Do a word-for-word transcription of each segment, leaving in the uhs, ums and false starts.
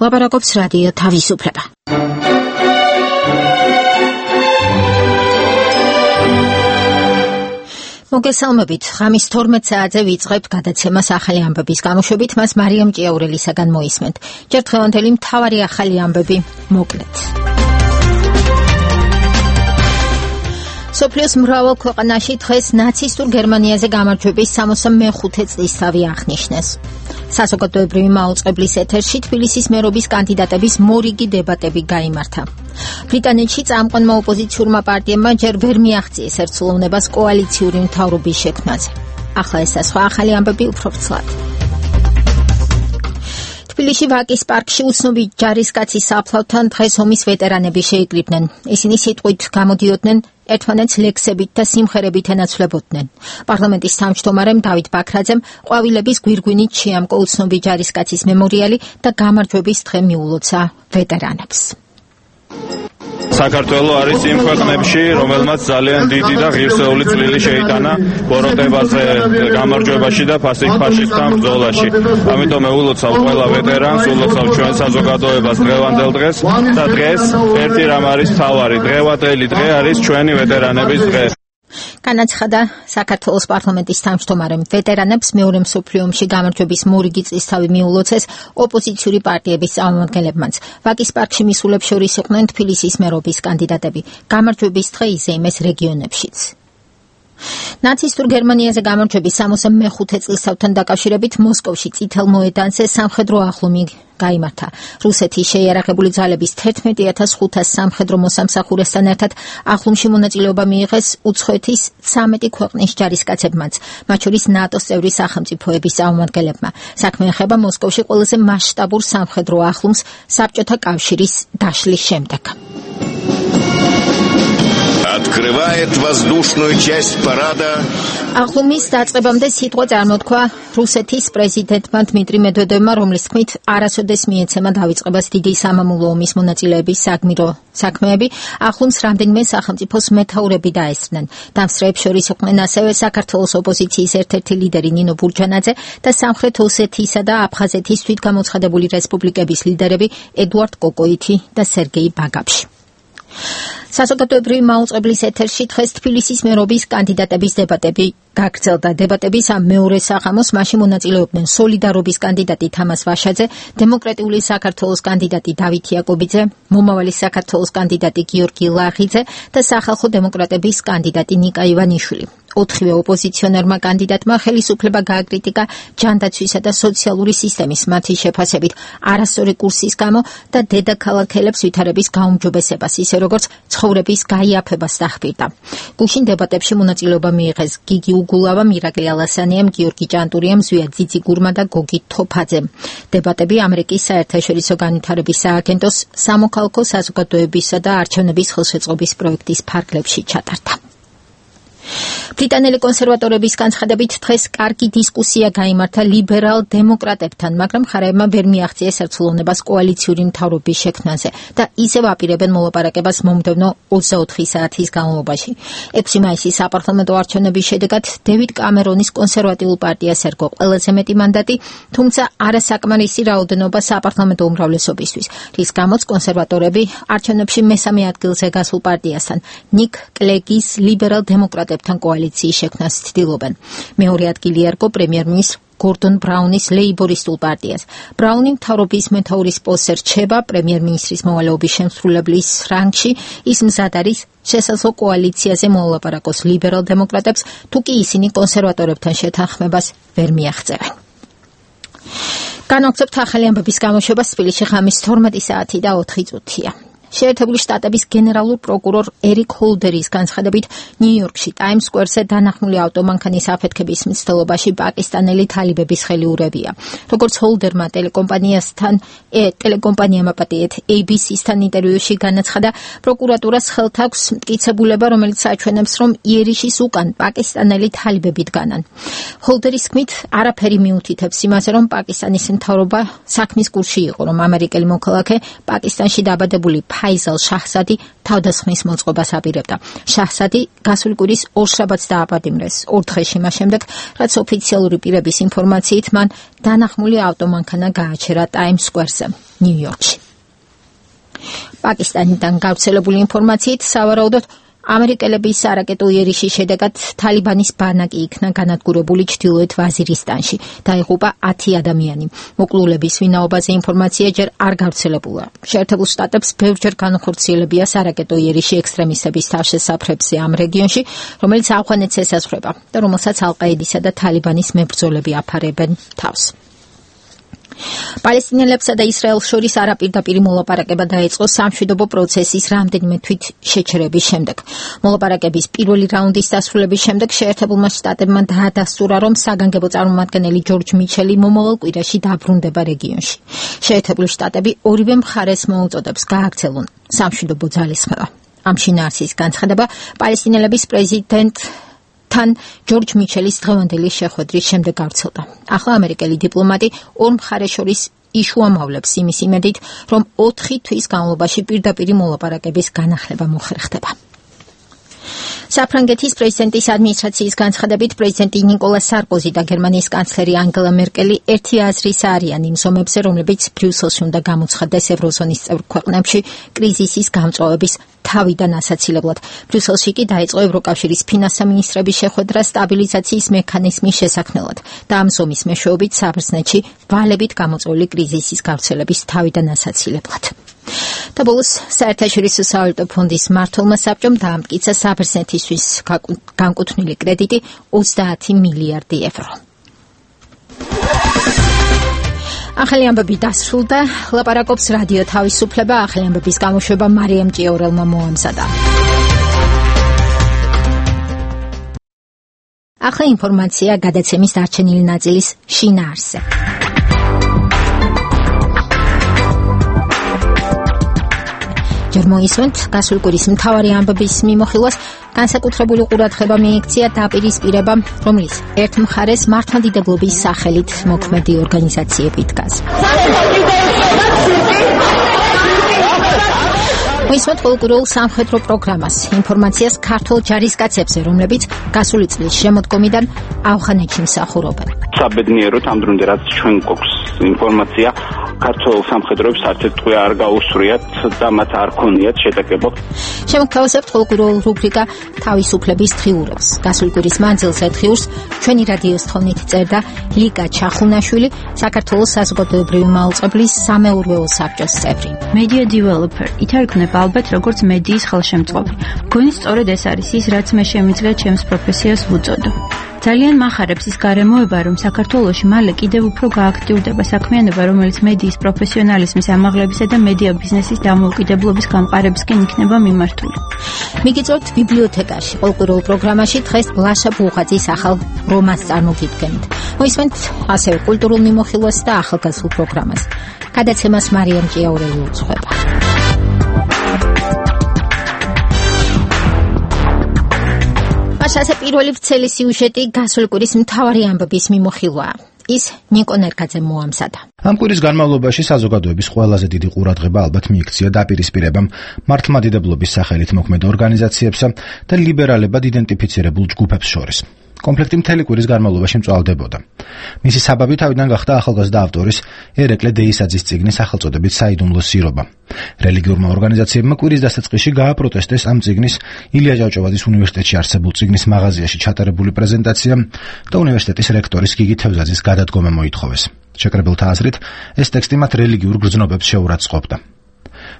ლაპარაკობს რადიო თავისუფლება. მოგესალმებით, ღამის თორმეტ საათზე ვიწყებთ გადაცემას ახალი ამბების გამოშვებით, მას მარიამ ჭიაურელისაგან მოისმენთ. ჯერ დღევანდელი მთავარი ახალი ამბები მოკლედ. სოფლიოს მრავალ ქვეყანაში დღეს ნაცისტურ გერმანიაზე გამარჯვების სამოცდამეხუთე წლისთავი აღნიშნეს. საზოგადოებრივი მაუწყებლის ეთერში თბილისის მერობის კანდიდატების მორიგი დებატები გაიმართა. ბრიტანეთში წამყვანმა ოპოზიციურმა პარტიებმა ჯერ ვერ მიაღწიეს ერთსულოვნებას კოალიციური მთავრობის შექმნაზე. ახლა ეს და სხვა ახალი ამბები უფრო ვრცლად. თბილისში ვაკის პარკში უცნობი ჯარისკაცის საფლავთან დღეს ომის ვეტერანები შეიკრიბნენ. ისინი სიტყვით გამოდიოდნენ, ერთმანეთს ლექსებით და სიმღერებით ენაცვლებოდნენ. პარლამენტის თავმჯდომარემ დავით ბაქრაძემ ყვავილების გვირგვინით შეამკო უცნობი ჯარისკაცის მემორიალი და გამარჯვების დღე მიულოცა ვეტერანებს. საქართველო არის იმ ქვეყნებში, რომელმაც ძალიან დიდი და ღირსეული წვლილი შეიტანა ბოროტებაზე, გამარჯვებაში და ფაშისტთან ბრძოლაში. ამიტომ ულოცავ ყველა ვეტერანს, ულოცავ ჩვენ საზოგადოებას დღევანდელ დღეს და დღეს ერთი რამ არის მთავარი, დღევანდელი დღე არის ჩვენი ვეტერანების დღე. განაცხადა საქართველოს პარლამენტის თავმჯდომარემ. ვეტერანებს მეორე მსოფლიო ომში გამარჯვების მორიგი წლისთავი მიულოცეს ოპოზიციური პარტიების წარმომადგენლებმაც. ვაკის პარკში მისულებს შორის იყვნენ თბილისის მერობის კანდიდატები. გამარჯვების დღე იზეიმეს რეგიონებშიც. ნაცისტურ გერმანიაზე გამარჯვების სამოცდამეხუთე წლისთავთან დაკავშირებით მოსკოვში წითელ მოედანზე სამხედრო აღლუმი გაიმართა. რუსეთის შეიარაღებული ძალების თერთმეტი ათას ხუთას სამხედრო მოსამსახურესთან ერთად აღლუმში მონაწილეობა მიიღეს უცხოეთის ცამეტი ქვეყნის ჯარისკაცებმაც, მათ შორის ნატოს წევრი სახელმწიფოების წარმომადგენლებმა. საქმე ეხება მოსკოვში ყველაზე მასშტაბურ სამხედრო აღლუმს საბჭოთა კავშირის დაშლის შემდეგ. Открывает воздушную часть парада. აღლუმის დაწყებამდე სიტყვა წარმოთქვა რუსეთის პრეზიდენტმა დმიტრი მედვედევმა, რომლის თქმით არასოდეს მიეცემა დავიწყებას დიდი სამამულო ომის მონაწილეების საგმირო საქმეები. აღლუმს რამდენიმე სახელმწიფოს მეთაურები დაესწრნენ. დამსწრეებს შორის იყვნენ ასევე საქართველოს ოპოზიციის ერთ-ერთი ლიდერი ნინო ბურჯანაძე და სამხრეთ ოსეთისა და აფხაზეთის თვითგამოცხადებული რესპუბლიკების ლიდერები ედუარდ კოკოითი და სერგეი ბაგაფში. საზოგადოებრივი მაუწყებლის ეთერში დღეს თბილისის მერობის კანდიდატების დებატები გაგრძელდა. დებატების ამ მეორე საღამოს მასში მონაწილეობდნენ სოლიდარობის კანდიდატი თამას ვაშაძე, დემოკრატიული საქართველოს კანდიდატი დავით იაკობიძე, მომავალი საქართველოს კანდიდატი გიორგი ლაღიძე და სახალხო დემოკრატების კანდიდატი ნიკა ივანიშვილი. ოთხივე ოპოზიციონერმა კანდიდატმა ხელისუფლება გააკრიტიკა ჯანდაცვისა და სოციალური სისტემის მათი შეფასებით არასწორი კურსის გამო და დედაქალაქელებს ვითარების გაუმჯობესებას, ისე როგორც ცხოვრების გაიაფებას დახბირდა. გუშინ დებატებში მონაწილეობა მიიღეს გიგი უგულავა, მირაკლი ალასანიამ, გიორგი ჭანტურიამ, ზვია ძიძიგურმა და გოგი თოფაძემ. დებატები ამერიკის საერთაშორისო განვითარების სააგენტოს სამოქალაქო საზოგადოებისა და არჩევნების ხელშეწყობის პროექტის ფარგლებში ჩატარდა. ბრიტანელი კონსერვატორების განცხადებით დღეს კარგი დისკუსია გაიმართა ლიბერალ დემოკრატებთან, მაგრამ მხარეებმა ვერ მიაღწიეს ერთსულოვნებას კოალიციური მთავრობის შექმნაზე და ისევ აპირებენ მოლაპარაკებას მომდევნო ოცდაოთხი საათის განმავლობაში. ექვსი მაისის საპარლამენტო არჩევნების შედეგად დევიდ კამერონის კონსერვატიულ პარტიას ერგო ყველაზე მეტი მანდატი, თუმცა არასაკმარისი რაოდენობა საპარლამენტო უმრავლესობისთვის, რის გამოც კონსერვატორები არჩევნებში მესამე ადგილზე გასულ პარტიასთან, ნიკ კლეგის ლიბერალ დემოკრატებთან კოალიციის შექმნას ცდილობენ. მეორე ადგილი ერგო პრემიერ-მინისტრ გორდონ ბრაუნის ლეიბორისტულ პარტიას. ბრაუნი მთავრობის მეთაურის პოსტზე რჩება პრემიერ-მინისტრის მოვალეობის შემსრულებლის რანგში. ის მზად არის შესაძლო კოალიციაზე მოალაპარაკოს ლიბერალ დემოკრატებს, თუ კი ისინი კონსერვატორებთან შეთანხმებას ვერ მიაღწევენ. განვაგრძობთ ახალი ამბების გამოშვებას. თბილისში ღამის თორმეტი საათი და ოთხი წუთია. შეერთებული შტატების გენერალურ პროკურორ ერიკ ჰოლდერის განცხადებით, ნიუ-იორკში ტაიმს სკვერზე დანახმული ავტომანქანის აფეთქების მცდელობაში პაკისტანელი თალიბების ხელიურებია. როგორც ჰოლდერმა ტელეკომპანიასთან, ტელეკომპანიამ აპატიეთ ეი ბი სი-სთან ინტერვიუში განაცხადა, პროკურატურას ხელთ აქვს მტკიცებულება, რომელიც აჩვენებს, რომ იერიშის უკან პაკისტანელი თალიბები დგანან. ჰოლდერის თქმით, არაფერი მიუთითებს იმაზე, რომ პაკისტანის მთავრობა საქმის კურსში იყო, რომ ამერიკელი მოქალაქე პაკისტანში დაბადებული ფაიზალ შაჰზადი თავდასხმის მოწყობას აპირებდა. შაჰზადი გასული კვირის ორშაბათს დააპატიმრეს, ორ დღეში მას შემდეგ, რაც ოფიციალური პირების ინფორმაციით მან დანახმული ავტომანქანა გააჩერა ტაიმს სკვერზე, ნიუ-იორკში. პაკისტანიდან გავრცელებული ინფორმაციით სავარაუდოდ ამერიკელების არაკეტო იერიშის შედეგად თალიბანის ბანაკი იქნა განადგურებული ჩრდილოეთ ვაზირისტანში. დაიღუპა ათი ადამიანი. მოკლულების ვინაობაზე ინფორმაცია ჯერ არ გავრცელებულა. შეერთებულ შტატებს ბევრჯერ განახორციელებია არაკეტო იერიში ექსტრემისტების თავშესაფრებზე ამ რეგიონში, რომელიც ავღანეთს ესაზღვრება და რომელსაც ალ-ყაიდისა და თალიბანის მებრძოლები აფარებენ თავს. პალესტინელებსა და ისრაელს შორის არაპირდაპირი მოლაპარაკება დაიწყო სამშვიდობო პროცესის რამდენიმე თვით შეჩერების შემდეგ. მოლაპარაკების პირველი რაუნდის დასრულების შემდეგ შეერთებულმა შტატებმა დაადასტურა, რომ საგანგებო წარმომადგენელი ჯორჯ მიჩელი მომავალ კვირაში დაბრუნდება რეგიონში. შეერთებული შტატები ორივე მხარეს მოუწოდებს გააქცელონ სამშვიდობო ძალისხმევა. ამ შინაარსის განცხადება პალესტინელების პრეზიდენტ თან ჯორჯ მიჩელის დღევანდელი შეხვედრის შემდეგ გავრცელდა. ახლა ამერიკელი დიპლომატი ორ მხარეს შორის იშუამავლებს იმის იმედით, რომ ოთხი თვის განმავლობაში პირდაპირი მოლაპარაკების განახლება მოხერხდება. საფრანგეთის პრეზიდენტის ადმინისტრაციის განცხადებით პრეზიდენტი ნიკოლა სარკოზი და გერმანიის კანცლერი ანგელა მერკელი ერთი აზრის არიან იმ ზომებზე, რომლებიც ბრიუსელში უნდა გამოცხადდეს ევროზონის წევრ ქვეყნებში კრიზისის გამწვავების თავიდან ასაცილებლად. ბრიუსელში კი დაიწყო ევროკავშირის ფინანსამინისტრების შეხვედრა სტაბილიზაციის მექანიზმის შესაქმნელად და ამ ზომის მეშვეობით საბერძნეთში ვალებით გამოწვეული კრიზისის გავრცელების თავიდან ასაცილებლად. და ბოლოს საერთაშორისო სავალუტო ფონდის მმართველმა საბჭომ დაამტკიცა საბერძნეთისთვის განკუთვნილი კრედიტი ოცდაათი მილიარდი ევრო. ახალი ამბები დასრულდა. ლაპარაკობს რადიო თავისუფლება. ახალი ამბების გამოშვება მარიამ ჭიაურელმა მოამზადა. ახლა ინფორმაცია გადაცემის დარჩენილი ნაწილის შინაარსზე. ჯერ მოისმენთ გასული კვირის მთავარი ამბების მიმოხილვას. განსაკუთრებული ყურადღება მიიქცია დაპირისპირებამ, რომლის ერთ მხარეს მართლმადიდებლობის სახელით მოქმედი ორგანიზაციები დგას. მოისმენთ ყოველკვირეულ სამხედრო პროგრამას, ინფორმაციას ქართულ ჯარისკაცებზე, რომლებიც გასული წლის შემოდგომიდან ავღანეთში მსახურობენ. საბედნიეროდ ამ დრომდე რაც ჩვენ გვაქვს ინფორმაცია, ქართულ სამხედროებს არც ერთ ტყვე არ გაუსწრიათ და მათ არ ქონიათ შეტაკება. შემოგთავაზებთ ყოველკვირეულ რუბრიკა თავისუფლების დღიურებს. გასული კვირის მანძილზე დღიურს ჩვენი რადიოს თხოვნით წერდა ლიკა ჩახუნაშვილი, საქართველოს საზოგადოებრივი მაუწყებლის სამეურვეო საბჭოს წევრი. Media developer ითარგმნება ალბათ როგორც მედიის ხელშემწყობი. მგონი სწორედ ეს არის ის, რაც მე შემიძლია ჩემს პროფესიას ვუწოდო. ძალიან მახარებს ის გარემოება, რომ საქართველოში მალე კიდევ უფრო გააქტიურდება საქმიანობა, რომელიც მედიის პროფესიონალიზმის ამაღლებისა და მედია ბიზნესის დამოუკიდებლობის გამყარებისკენ იქნება მიმართული. მიგიწევთ ბიბლიოთეკაში. ყოველკვირეულ პროგრამაში დღეს ბლაშა ბუღაძის ახალ რომანს წარმოგიდგენთ. მოისმენთ ასევე კულტურულ მიმოხილვას და ახალგაზრდულ პროგრამას. გადაცემას მარიამ ჭიაურელი უძღვება. ასე პირველი ვრცელი სიუჟეტი გასული კვირის მთავარი ამბების მიმოხილვაა. ის ნიკო ნერგაძემ მოამზადა. ამ კვირის განმავლობაში საზოგადოების ყველაზე დიდი ყურადღება ალბათ მიიქცია დაპირისპირებამ მართლმადიდებლობის სახელით მოქმედ ორგანიზაციებსა და ლიბერალებად იდენტიფიცირებულ ჯგუფებს შორის. კონფლიქტი მთელი კვირის განმავლობაში მწვალდებოდა. მისი საბაბი თავიდან გახდა ახალგაზრდა ავტორის ერეკლე დეისაძის წიგნის სახელწოდებით საიდუმლო სირობა. რელიგიურმა ორგანიზაციებმა კვირის დასაწყისში გააპროტესტეს ამ წიგნის ილია ჭავჭავაძის უნივერსიტეტში არსებულ წიგნის მაღაზიაში ჩატარებული პრეზენტაცია და უნივერსიტეტის რექტორის გიგი თევზაძის გადადგომა მოითხოვეს. შეკრებილთა აზრით, ეს ტექსტი მათ რელიგიურ გრძნობებს შეურაცხყოფდა.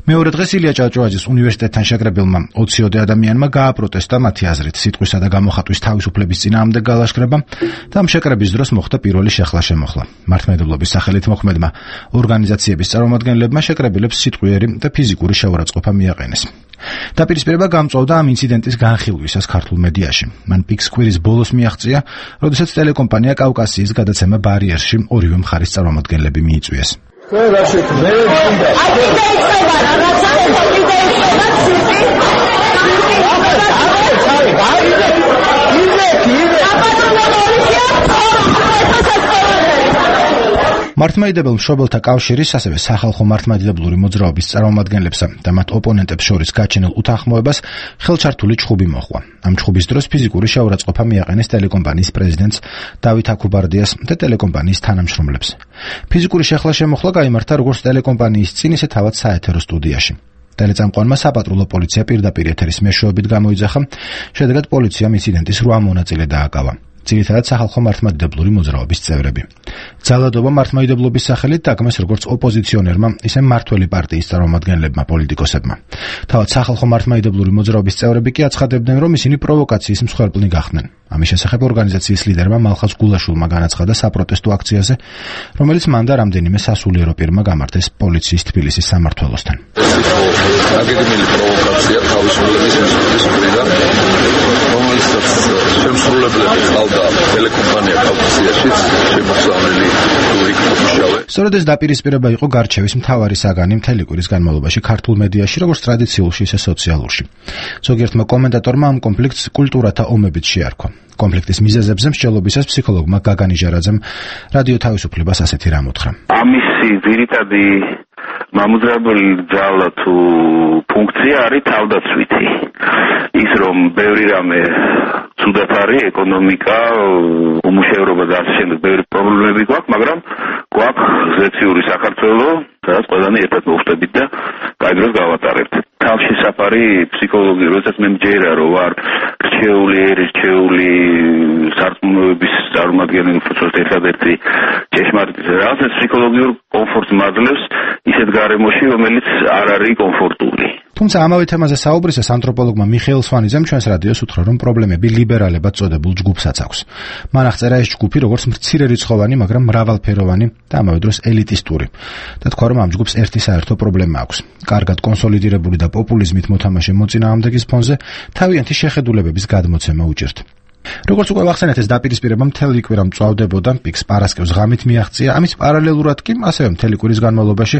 მეორე დღეს ილია ჭავჭავაძის უნივერსიტეტთან შეკრებილმა ოციოდე ადამიანმა გააპროტესტა მათი აზრით სიტყვისა და გამოხატვის თავისუფლების წინააღმდეგ გალაშქრება და ამ შეკრების დროს მოხდა პირველი შეხლა-შემოხლა. მართლმადიდებლობის სახელით მოქმედმა ორგანიზაციების წარმომადგენლებმა შეკრებილებს სიტყვიერი და ფიზიკური შეურაცხყოფა მიაყენეს. დაპირისპირება გამწვავდა ამ ინციდენტის განხილვისას ქართულ მედიაში. მან პიქს კვირის ბოლოს მიაღწია, როდესაც ტელეკომპანია კავკასიის გადაცემა ბარიერში ორივე მხარის წარმომადგენლები მიიწვიეს. Well, that's it. Very good. I think they say that. That's how they say მართლმადიდებელ მშობელთა კავშირის, ასევე სახალხო მართლმადიდებლური მოძრაობის წარმომადგენლებსა და მათ ოპონენტებს შორის გაჩენილ უთანხმოებას ხელჩართული ჩხუბი მოჰყვა. ამ ჩხუბის დროს ფიზიკური შეურაცხყოფა მიაყენეს ტელეკომპანიის პრეზიდენტს დავით აქუბარდიას და ტელეკომპანიის თანამშრომლებს. ფიზიკური შეხლა-შემოხლა გაიმართა როგორც ტელეკომპანიის წინ, ისე თავად საეთერო სტუდიაში. ტელეწამყვანმა საპატრულო პოლიცია პირდაპირ ეთერის მეშვეობით გამოიძახა, შედეგად პოლიციამ ინციდენტის რვა მონაწილე დააკავა. ძირითადად სახალხო მართლმადიდებლური მოძრაობის წევრები. ძალადობა მართლმადიდებლობის სახელით დაგმეს როგორც ოპოზიციონერმა, ისე მმართველი პარტიის წარმომადგენლებმა, პოლიტიკოსებმა. თავად სახალხო მართლმადიდებლური მოძრაობის წევრები კი აცხადებდნენ, რომ ისინი პროვოკაციის მსხვერპლი გახდნენ. ამის შესახებ ორგანიზაციის ლიდერმა მალხაზ გულაშვილმა განაცხადა საპროტესტო აქციაზე, რომელიც მან და რამდენიმე სასულიერო პირმა გამართეს პოლიციის თბილისის სამმართველოსთან. აგეგმილი პროვოკაცია თავისუფლების მიზნით მხრიდან, რომელსაც შემსრულებლები ყავდა ტელეკომპანია კავკასიაშიც შემოსავლელი იქნებუშავე. სწორედ ეს დაპირისპირება იყო გარჩევის მთავარი საგანი მთელი კვირის განმავლობაში ქართულ მედიაში, როგორც ტრადიციულში, ისე სოციალურში. ზოგიერთმა კომენტატორმა ამ კონფლიქტს კულტურათა ომებით შეარქვა. კონფლიქტის მიზეზებზე მსჯელობისას ფსიქოლოგმა გაგან იჟარაძემ რადიო თავისუფლებას ასეთი რამ უთხრა. ამისი ძირითადი მამოძრავებელი ძალა თუ ფუნქცია არის თავდაცვითი. ის რომ ბევრი რამე ცუდად არის, ეკონომიკა, უმუშევრობა და ასე შემდეგ ბევრი პრობლემები გვაქვს, მაგრამ გვაქვს ზეციური საქართველო, სადაც ყველანი ერთად მოვხდებით და კაი დროს გავატარებთ. თავში საფარი ფსიქოლოგი, როდესაც მე მჯერა რომ ვარ რჩეული, რჩეული სარწმუნოების წარმომადგენელი, უბრალოდ ერთადერთი ჭეშმარიტი რაღაცა ფსიქოლოგიურ კომფორტს მაძლევს ისეთ გარემოში, რომელიც არ არის კომფორტული. თუმცა ამავე თემაზე საუბრისას ანთროპოლოგმა მიხეილ სვანიძემ ჩვენს რადიოს უთხრა, რომ პრობლემები ლიბერალებად წოდებულ ჯგუფსაც აქვს. მან აღწერა ეს ჯგუფი როგორც მცირერიცხოვანი, მაგრამ მრავალფეროვანი და ამავე დროს ელიტისტური. და თქვა, რომ ამ ჯგუფს ერთი საერთო პრობლემა აქვს. კარგად კონსოლიდირებული და პოპულიზმით მოთამაშე მოწინააღმდეგის ფონზე თავიანთი შეხედულებების გადმოცემა უჭირთ. როგორც უკვე ვახსენეთ, ეს დაპირისპირება მთელი კვირა მწვავდებოდა, პიკს პარასკევს ღამით მიაღწია, ამის პარალელურად კი ასევე მთელი კვირის განმავლობაში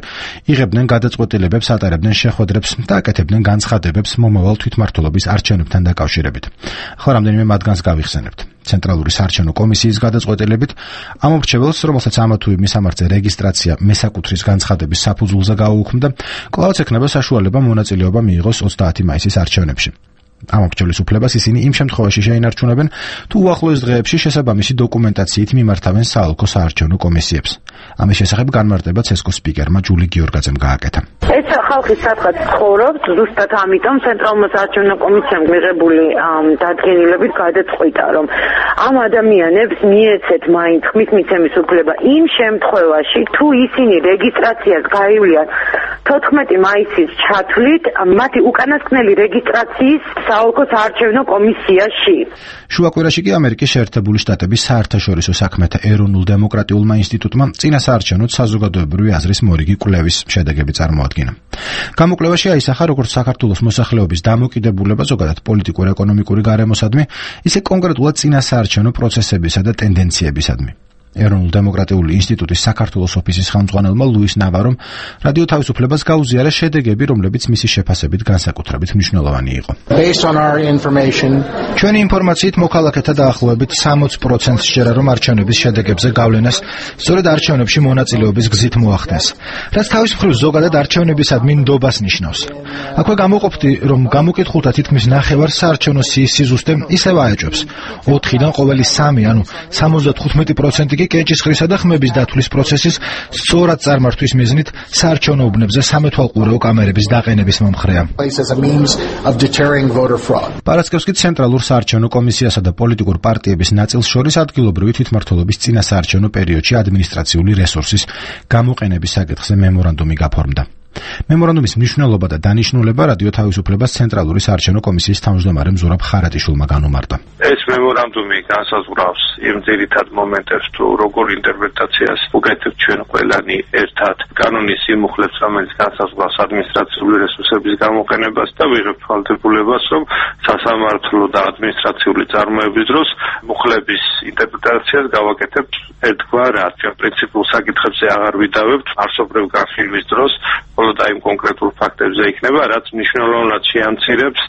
იღებდნენ გადაწყვეტილებებს, ატარებდნენ შეხვედრებს და აკეთებდნენ განცხადებებს მომავალ თვითმმართველობის არჩევნებთან დაკავშირებით. ახლა რამდენიმე მათგანს გავიხსენებთ. ცენტრალური საარჩევნო კომისიის გადაწყვეტილებით ამ მრჩეველს, რომელსაც ამა თუ იმ მისამართზე რეგისტრაცია მესაკუთრის განცხადების საფუძველზე გაუუქმდა, კვლავაც ექნება საშუალება მონაწილეობა მიიღოს ოცდაათი მაისის არჩევნებში. ამ მრჩევლის უფლებას ისინი იმ შემთხვევაში შეინარჩუნებენ, თუ უახლოეს დღეებში შესაბამისი დოკუმენტაციით მიმართავენ საოლქო საარჩევნო კომისიებს. ამის შესახებ განმარტება ცესკოს სპიკერმა ჯული გიორგაძემ გააკეთა. ეს ხალხი სადღაც ცხოვრობს, ზუსტად ამიტომ ცენტრალურ საარჩევნო კომისიამ მიღებული დადგენილებით გადაწყვიტა, რომ ამ ადამიანებს მიეცეთ მაინც ხმის მიცემის უფლება იმ შემთხვევაში, თუ ისინი რეგისტრაციას გაივლიან თოთხმეტი მაისის ჩათვლით მათი უკანასკნელი რეგისტრაციის საოლქო საარჩევნო კომისიაში. შუაკვირაში კი ამერიკის შეერთებული შტატების საერთაშორისო საქმეთა ეროვნულ დემოკრატიულმა ინსტიტუტმა წინა საარჩევნოდ საზოგადოებრივი აზრის მორიგი კვლევის შედეგები წარმოადგინა. გამოკვლევაში აისახა, როგორც საქართველოს მოსახლეობის დამოკიდებულება ზოგადად პოლიტიკურ-ეკონომიკური გარემოსადმი, ისე კონკრეტულად წინა საარჩევნო პროცესებისა და ტენდენციებისადმი. ეროვნულ დემოკრატიული ინსტიტუტის საქართველოს ოფისის ხელმძღვანელმა ლუის ნავარომ რადიო თავისუფლებას გაუზიარა შედეგები, რომლებიც მისი შეფასებით განსაკუთრებით მნიშვნელოვანი იყო. ჩვენი ინფორმაციით მოქალაქეთა დაახლოებით სამოცი პროცენტს სჯერა, რომ არჩევნების შედეგებზე გავლენას სწორედ არჩევნებში მონაწილეობის გზით მოახდენს, რაც თავის მხრივ ზოგადად არჩევნებისადმი ნდობას ნიშნავს. აქვე გამოყოფდი, რომ გამოკითხულთა თითქმის ნახევარს საარჩევნო სიის სიზუსტე ისევ აეჭვებს. ოთხიდან ყოველი სამი, ანუ სამოცდათხუთმეტი პროცენტი კენჭისყრისა და ხმების დათვლის პროცესის სწორად წარმართვის მიზნით საარჩევნო უბნებზე სამეთვალყურეო კამერების დაყენების მომხრეა. პარასკევს კი ცენტრალურ საარჩევნო კომისიასა და პოლიტიკურ პარტიების ნაწილს შორის ადგილობრივი თვითმმართველობის წინა საარჩევნო პერიოდში ადმინისტრაციული რესურსის გამოყენების საკითხზე მემორანდუმი გაფორმდა. მემორანდუმის მნიშვნელობა და დანიშნულება რადიო თავისუფლებას ცენტრალური საარჩევნო კომისიის თავმჯდომარემ ზურაბ ხარატიშვილმა განუმარტა. ეს მემორანდუმი განსაზღვრავს იმ ძირითად მომენტებს, თუ როგორ ინტერპრეტაციას უკეთებთ ჩვენ ყველანი ერთად კანონის სიმუხლებს, რომელიც განსაზღვრავს ადმინისტრაციული რესურსების გამოყენებას და ვიღებთ ვალდებულებას, რომ სასამართლო და ადმინისტრაციული წარმოების დროს მუხლების ინტერპრეტაციას გავაკეთებთ ერთგვარად. ჩვენ პრინციპულ საკითხებზე აღარ ვიდავებთ არსობრივ განხილვის დროს მხოლოდ აი იმ კონკრეტულ ფაქტებზე იქნება, რაც მნიშვნელოვნად შეამცირებს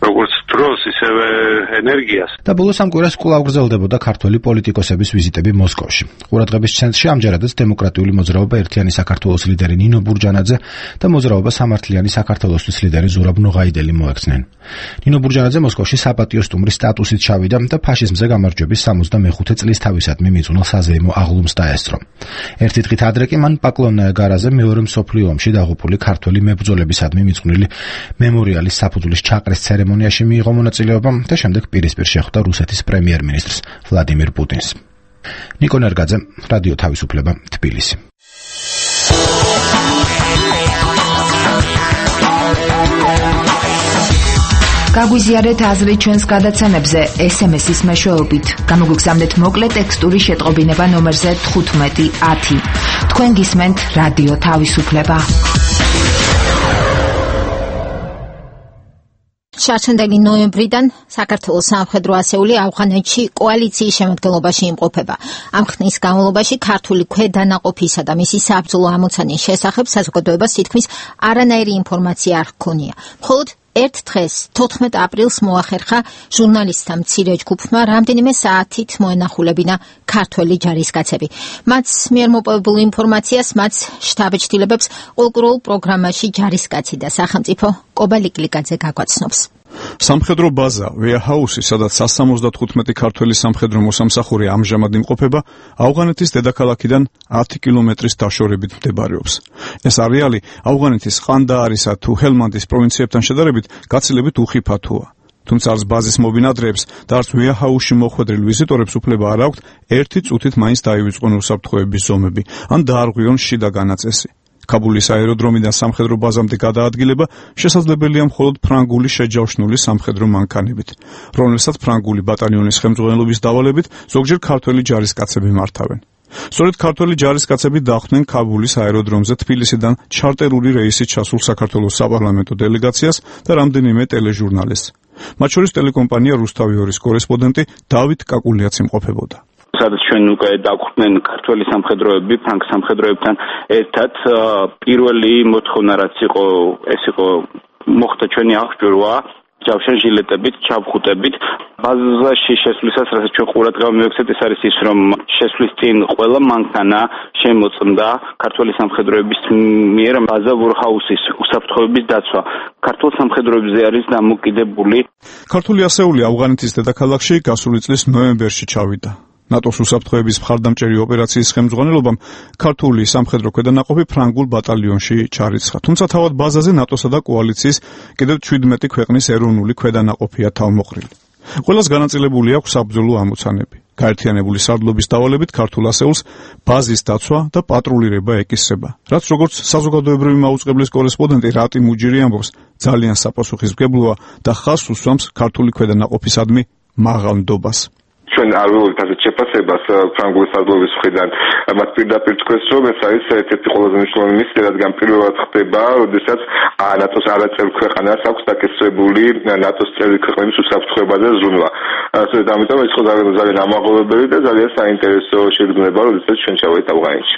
როგორც დროს, ისევე ენერგიას. და ბოლოს ამ კვირას კვლავ გრძელდებოდა ქართველი პოლიტიკოსების ვიზიტები მოსკოვში. ყურადღების ცენტრში ამჯერადაც დემოკრატიული მოძრაობა ერთიანი საქართველოს ლიდერი ნინო ბურჯანაძე და მოძრაობა სამართლიანი საქართველოსთვის ლიდერი ზურაბ ნოღაიდელი მოექცნენ. ნინო ბურჯანაძე მოსკოვში საპატიო სტუმრის სტატუსით ჩავიდა და ფაშიზმზე გამარჯვების სამოცდამეხუთე წლის თავისადმი მიძღვნილ საზეიმო აღლუმს დაესწრო. ერთი დღით ადრე კი მან პაკლონაია-გარაზე მეორე მსოფლიო ომში დაღუპული ქართველი მებრძოლებისადმი მიძღვნილი მემორიალის საფუძვლის ჩაყრის ცერემონიაში მიიღო მონაწილეობა და შემდეგ პირისპირ შეხვდა რუსეთის პრემიერ-მინისტრს ვლადიმირ პუტინს. ნიკო ნერგაძე, რადიო თავისუფლება, თბილისი. გაგვიზიარეთ აზრი ჩვენს გადაცემებზე ეს ემ ესის მეშვეობით. გამოგვიგზავნეთ მოკლე ტექსტური შეტყობინება ნომერზე თხუთმეტი ათი. თქვენ გისმენთ რადიო თავისუფლება. შარშანდელი ნოემბრიდან საქართველოს სამხედრო ასეული ავღანეთში კოალიციის შემადგენლობაში იმყოფება. ამ ხნის განმავლობაში ქართული ქვედანაყოფისა და მისი საბრძოლო ამოცანის შესახებ საზოგადოებას თითქმის არანაირი ინფორმაცია არ ჰქონია. მხოლოდ ერთ დღეს, თოთხმეტ აპრილს მოახერხა ჟურნალისტთა მცირე ჯგუფმა რამდენიმე საათით მოენახულებინა ქართველი ჯარისკაცები. მათ მიერ მოპოვებულ ინფორმაციას მათ შტაბ-ჭდილებებს ყოველკვირეულ პროგრამაში ჯარისკაცი და სახელმწიფო კობა ლიკლიკაძე გაგვაცნობს. სამხედრო ბაზა ვეაჰაუსი, სადაც სამოცდათხუთმეტი ქართველი სამხედრო მოსამსახური ამჟამად იმყოფება, ავღანეთის დედაქალაქიდან ათი კილომეტრის დაშორებით მდებარეობს. ეს არეალი ავღანეთის ყანდაარისა თუ ჰელმანდის პროვინციებთან შედარებით გაცილებით უხიფათოა. თუმცა არც ბაზის მობინადრეებს და არც ვეაჰაუსში მოხვედრილ ვიზიტორებს უფლება არ აქვთ ერთი წუთით მაინც დაივიწყონ უსაფრთხოების ზომები ან დაარღვიონ შიდა განაწესი. კაბულის აეროდრომიდან სამხედრო ბაზამდე გადაადგილება შესაძლებელია მხოლოდ ფრანგული შეჯავშნული სამხედრო მანქანებით, რომელსაც ფრანგული ბატალიონის ხელმძღვანელობის დავალებით ზოგჯერ ქართველი ჯარისკაცები მართავენ. სწორედ ქართველი ჯარისკაცები დახვდნენ კაბულის აეროდრომზე თბილისიდან ჩარტერული რეისით ჩასულ საქართველოს საპარლამენტო დელეგაციას და რამდენიმე ტელეჟურნალისტს. მათ შორის ტელეკომპანია რუსთავი ორის კორესპონდენტი დავით კაკულიაც იმყოფებოდა. სადაც ჩვენ უკვე დაგვხვდნენ ქართველი სამხედროები ფრანგ სამხედროებთან ერთად პირველი მოთხოვნა რაც იყო ეს იყო მოხდა ჩვენი აღჭურვა ჯავშან ჟილეტებით, ჩავხუტებით ბაზაში შესვლისას რასაც ჩვენ ყურადღება მივექცეთ ეს არის ის რომ შესვლის წინ ყველა მანქანა შემოწმდა ქართველი სამხედროების მიერ ბაზა ვორჰაუსის უსაფრთხოების დაცვა ქართულ სამხედროებზე არის დამოკიდებული. ქართული ასეული ავღანეთის დედაქალაქში გასული წლის ნოემბერში ჩავიდა. ნატოს უსაფრთხოების მხარდამჭერი ოპერაციის ხელმძღვანელობამ ქართული სამხედრო ქვედანაყოფი ფრანგულ ბატალიონში ჩარიცხა. თუმცა თავად ბაზაზე ნატოსა და კოალიციის კიდევ შვიდმეტი ქვეყნის ეროვნული ქვედანაყოფია თავმოყრილი. ყველას განაწილებული აქვს საბრძოლო ამოცანები. გაერთიანებული სარდლობის დავალებით ქართულ ასეულს ბაზის დაცვა და პატრულირება ეკისრება. რაც როგორც საზოგადოებრივი მაუწყებლის კორესპონდენტი რატი მუჯირი ამბობს, ძალიან საპასუხისმგებლოა და ხაზს უსვამს ქართული ქვედანაყოფისადმი მაღალ ნდობას. ჩვენ არ ვიღებთ ასეთ შეფასებას ფრანგული სარდლობის მხრიდან. მათ პირდაპირ თქვენს რომ ეს არის ერთ-ერთი ყველაზე მნიშვნელოვანი მისია, რადგან პირველად ხდება, როდესაც ნატოს არაწევრი ქვეყანას აქვს დაკისრებული ნატოს წევრი ქვეყნების უსაფრთხოებაზე ზრუნვა. ასე ამიტომ ეს ხო ძალიან ამაღლებელი და ძალიან საინტერესო შეგრძნება, როდესაც ჩვენ ჩავედით ავღანეთში.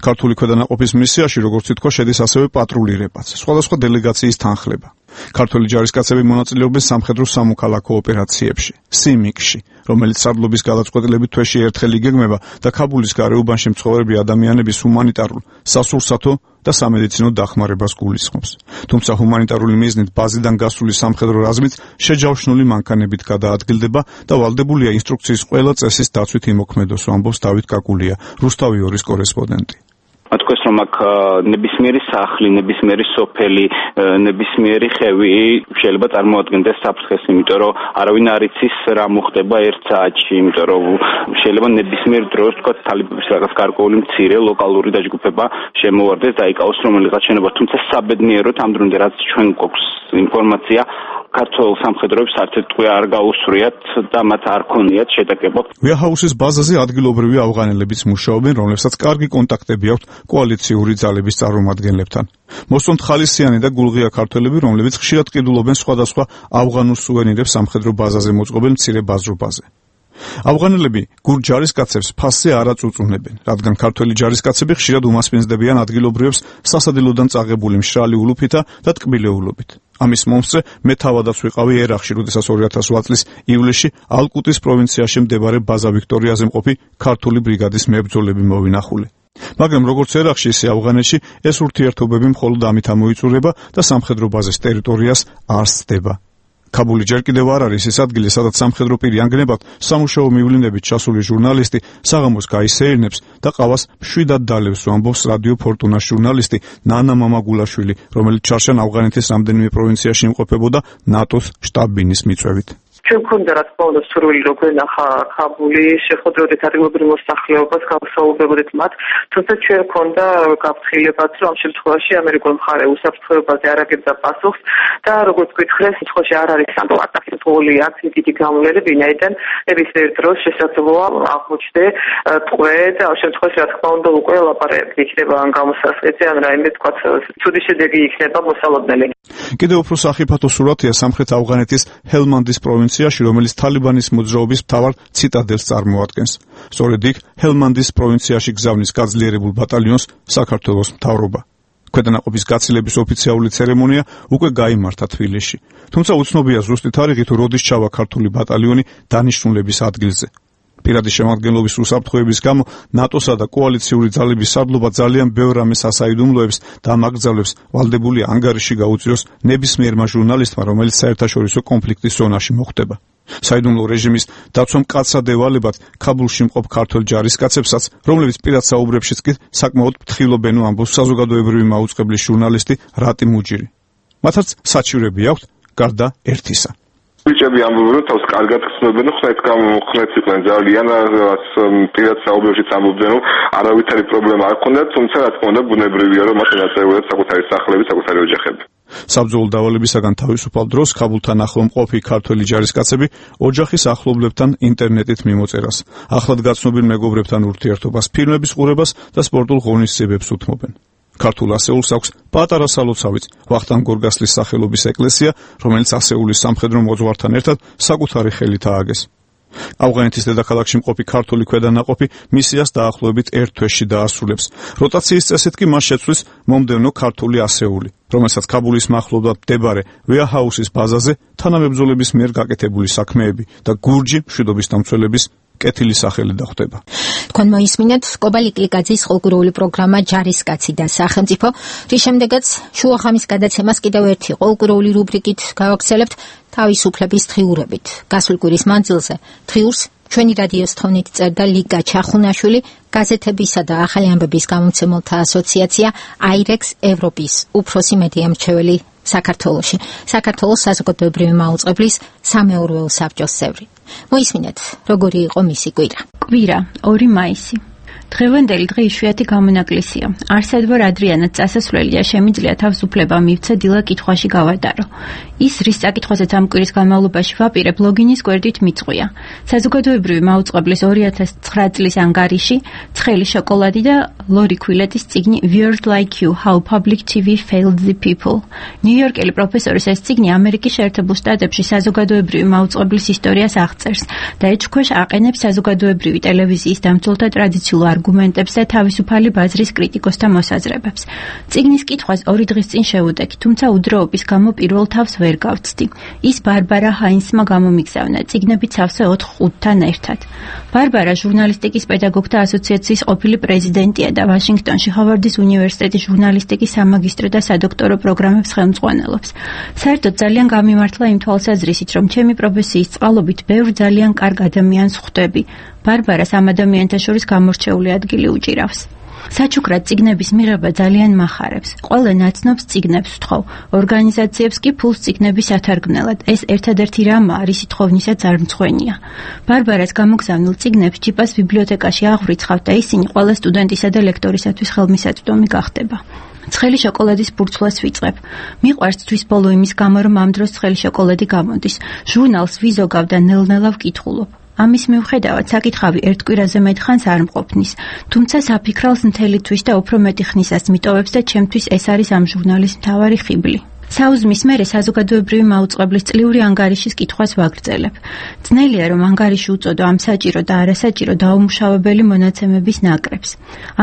ქართული ქვედანაყოფის მისიაში, როგორც ითქვა, შედის ასევე პატრულირებაც, სხვადასხვა დელეგაციის თანხლება. ქართველი ჯარისკაცები მონაწილეობენ სამხედრო სამოქალაქო ოპერაციებში, სიმიკში, რომელიც სარდლობის გადაწყვეტილებით თვეში ერთხელ იგეგმება და ქაბულის გარეუბანში მცხოვრები ადამიანების ჰუმანიტარულ, სასურსათო და სამედიცინო დახმარებას გულისხმობს. თუმცა ჰუმანიტარული მიზნით ბაზიდან გასული სამხედრო რაზმიც შეჯავშნული მანქანებით გადაადგილდება და ვალდებულია ინსტრუქციის ყველა წესის დაცვით იმოქმედოს, ამბობს დავით კაკულია, რუსთავი ორის კორესპონდენტი. თქვენს რომ აქ ნებისმიერი სახლი, ნებისმიერი სოფელი, ნებისმიერი ხევი შეიძლება წარმოადგენდეს საფრთხეს, იმიტომ რომ არავინ არ იცის რა მოხდება ერთ საათში, იმიტომ რომ შეიძლება ნებისმიერ დროს თქვა თალიბების რაღაც გარკვეული მცირე ლოკალური დაჯგუფება შემოვარდეს და იკავოს რომელიღაც შენობა, თუმცა საბედნიეროდ ამ დრომდე რაც ჩვენ გვაქვს ინფორმაცია ქართულ სამხედროებს არც ერთ ტყვია არ გაუსვრიათ და მათ არ ქონიათ შეტაკება. ვეაჰაუსის ბაზაზე ადგილობრივი ავღანელებიც მუშაობენ, რომლებსაც კარგი კონტაქტები აქვთ კოალიციური ძალების წარმომადგენლებთან. მოსწონთ ხალისიანი და გულღია ქართველები, რომლებიც ხშირად ყიდულობენ სხვადასხვა ავღანურ სუვენირებს სამხედრო ბაზაზე მოწყობილ მცირე ბაზრობაზე. ავღანელები გურჯ ჯარისკაცებს ფასზე არ აწუწუნებენ, რადგან ქართველი ჯარისკაცები ხშირად უმასპინძლებიან ადგილობრივებს სასადილოდან წაღებული მშრალი ულუფითა და ტკბილეულობით. ამის მომსწრე მე თავადაც ვიყავი ერახში, როდესაც ორი ათას ოთხ წლის ივლისში ალკუტის პროვინციაში მდებარე ბაზა ვიქტორიაზე მყოფი ქართული ბრიგადის მებრძოლები მოვინახული. მაგრამ როგორც ერახში, ისე ავღანეთში ეს ურთიერთობები მხოლოდ ამით ამოიწურება და სამხედრო ბაზის ტერიტორიას არ სდება. ქაბული ჯერ კიდევ არ არის ის ადგილი, სადაც სამხედრო პირი ანგნებად სამუშაო მივლინებით ჩასული ჟურნალისტი საღამოს გაისეირნებს და ყავას მშვიდად დალევს, ამბობს რადიო ფორტუნას ჟურნალისტი ნანა მამაგულაშვილი, რომელიც ჩარშან ავღანეთის რამდენიმე პროვინციაში იმყოფებოდა ნატოს შტაბ-ბინის მიწვევით. ჩვენ გქონდა რა თქმა უნდა სურვილი რომ გვენახა ქაბული, შეხვედრებოდით ადგილობრივ მოსახლეობას, გავსაუბრებოდით მათ, თუმცა ჩვენ გქონდა გაფრთხილებაც, რომ ამ შემთხვევაში ამერიკულ მხარე უსაფრთხოებაზე არ აგებდა პასუხს და როგორც გითხრეს, შემთხვევაში არ არის ამ ატაკებული აქცია დიდი გამოვლენები, ვინაიდან ნებისმიერ დროს შესაძლოა აღმოჩნდე ტყვე და ამ შემთხვევაში რა თქმა უნდა უკვე ლაპარაკი იქნება ან გამოსასყიდზე, ან რაიმე თქვა ცუდი შედეგი იქნება მოსალოდნელი. კიდევ უფრო სახიფათო სურათია სამხრეთ ავღანეთის ჰელმანდის პროვინციაში, რომელიც თალიბანის მოძრაობის მთავარ ციტადელს წარმოადგენს. სწორედ იქ ჰელმანდის პროვინციაში გზავნის გაძლიერებულ ბატალიონს საქართველოს მთავრობა. ქვედანაყოფის გაცილების ოფიციალური ცერემონია უკვე გაიმართა თბილისში. თუმცა უცნობია ზუსტი თარიღი თუ როდის ჩავა ქართული ბატალიონი დანიშნულების ადგილზე. პირადი შემადგენლობის უსაფრთხოების გამო ნატოსა და კოალიციური ძალების სარდლობა ძალიან ბევრ რამეს ასაიდუმლოებს და ამაგრძალებს ვალდებული ანგარიში გაუწიოს ნებისმიერმა ჟურნალისტმა, რომელიც საერთაშორისო კონფლიქტის ზონაში მოხვდება. საიდუმლო რეჟიმის დაცვა მკაცრად ევალებათ ქაბულში მყოფ ქართველ ჯარისკაცებსაც, რომლებიც პირად საუბრებშიც კი საკმაოდ ფრთხილობენ, ამბობს საზოგადოებრივი მაუწყებლის ჟურნალისტი რატი მუჯირი. მათაც საჩივრები აქვთ გარდა ერთისა. ბიჭები ამბობენ, რომ თავს კარგად ხსნობენ, ხნეთ გამხნეთ იყვნენ ძალიან, პირად საუბრებშიც ამბობდნენ, რომ არავითარი პრობლემა არ ჰქონდათ, თუმცა რა თქმა უნდა ბუნებრივია, რომ მათ ეწეოდნენ საკუთარი სახლები, საკუთარი ოჯახები. საბრძოლო დავალებისაგან თავისუფალ დროს ქაბულთან ახლო მყოფი ქართველი ჯარისკაცები ოჯახის ახლობლებთან ინტერნეტით მიმოწერას, ახლად გაცნობილ მეგობრებთან ურთიერთობას, ფილმების ყურებას და სპორტულ ღონისძიებებს უთმობენ. ქართულ ასეულს აქვს პატარა სალოცავიც, ვახტანგ გორგასლის სახელობის ეკლესია, რომელიც ასეულის სამხედრო მოძღვართან ერთად საკუთარი ხელით ააგეს. ავღანეთის დედაქალაქში მყოფი ქართული ქვედანაყოფი მისიას დაახლოებით ერთ თვეში დაასრულებს. როტაციის წესით კი მას შეცვლის მომდევნო ქართული ასეული, რომელსაც ქაბულის მახლობლად მდებარე ვეაჰაუსის ბაზაზე თანამებრძოლების მიერ გაკეთებული საქმეები და გურჯი მშვიდობის დამცველების კეთილი სახელი დახვდება. თქვენ მოისმინეთ კობალი კლიკაძის ყოლგურული პროგრამა ჯარისკაცი და სახელმწიფო, რის შემდეგაც შუახამის გადაცემას კიდევ ერთი ყოლგურული რუბრიკით გავაგრძელებთ თავისუფლების დღიურებით. გასულ კვირის მანძილზე დღიურს ჩვენი რადიოს თონით წერდა ლიგა ჩახუნაშვილი, გაზეთებისა და ახალი ამბების გამომცემელთა ასოციაცია აირექს ევროპის უფროსი მედია მრჩეველი საქართველოში, საქართველოს საზოგადოებრივი მაუწყებლის სამეურვეო საბჭოს წევრი. მოისმინეთ, როგორი იყო მისი კვირა. კვირა ორი მაისი. დღევანდელი დღე იშვიათი გამონაკლისია. არსადვარ ადრიანად წასასვლელია, შემიძლია თავისუფლება მივცე დილა კითხვაში გავადარო. ის, რის საკითხვაზეც ამ კვირის განმავლობაში ვაპირებ, ლოგინის გვერდით მიწყვია. საზოგადოებრივი მაუწყებლის ორი ათას ცხრა წლის ანგარიში, ცხელი შოკოლადი და ლორი ქვილეთის წიგნი Weird Like You, How Public ტი ვი Failed the People. ნიუ-იორკელი პროფესორის ეს წიგნი ამერიკის შეერთებულ შტატებში საზოგადოებრივი მაუწყებლის ისტორიას აღწერს და ეჭქვეშ აყენებს საზოგადოებრივი ტელევიზიის დამცველთა ტრადიციულ არგუმენტებს და თავისუფალი ბაზრის კრიტიკოსთა მოსაზრებებს. წიგნის კითხვას ორი დღის წინ შევუდექი, თუმცა უძრაობის გამო პირველ თავს ვერ გავცდი. ის ბარბარა ჰაინსმა გამომიგზავნა, წიგნებით სავსე ოთხ ხუთთან ერთად. ბარბარა ჟურნალისტიკის პედაგოგთა ასოციაციის ყოფილი პრეზიდენტია და ვაშინგტონში ჰოვარდის უნივერსიტეტის ჟურნალისტიკის სამაგისტრო და სადოქტორო პროგრამებს ხელმძღვანელობს. საერთოდ ძალიან გამიმართლა იმ თვალსაზრისით, რომ ჩემი პროფესიის წყალობით ბევრ ძალიან კარგ ადამიანს ხვდები. ბარბარას ამ ადამიანთა შორის გამორჩეული ადგილი უჭირავს. საჩუქრად წიგნების მიღება ძალიან მახარებს. ყველა ნაცნობს წიგნებს ვთხოვ, ორგანიზაციებს კი ფულს წიგნების ათარგმნელად. ეს ერთადერთი რამაა, რისი თხოვნისაც არ მცხვენია. ბარბარას გამოგზავნილ წიგნებს ჯიპას ბიბლიოთეკაში აღვრიცხავ და ისინი ყველა სტუდენტისა და ლექტორისათვის ხელმისაწვდომი გახდება. ცხელი შოკოლადის ბურცლას ვიწყებ. მიყვარს თვის ბოლო იმის გამო, რომ ამ დროს ცხელი შოკოლადი გამოდის. ჟურნალს ვიზოგავ და ნელ-ნელა ვკითხულობ. ამის მიუხედავად საკითხავი ერთ კვირაზე მეტ ხანს არ მყოფნის, თუმცა საფიქრალს მთელი თვის და უფრო მეტი ხნისას მიტოვებს და ჩემთვის ეს არის ამ ჟურნალის მთავარი ხიბლი. საუზმის მერე საზოგადოებრივი მაუწყებლის წლიური ანგარიშის კითხვას ვაგრძელებ. ძნელია, რომ ანგარიში უწოდო ამ საჭირო და არასაჭირო დაუმუშავებელი მონაცემების ნაკრებს.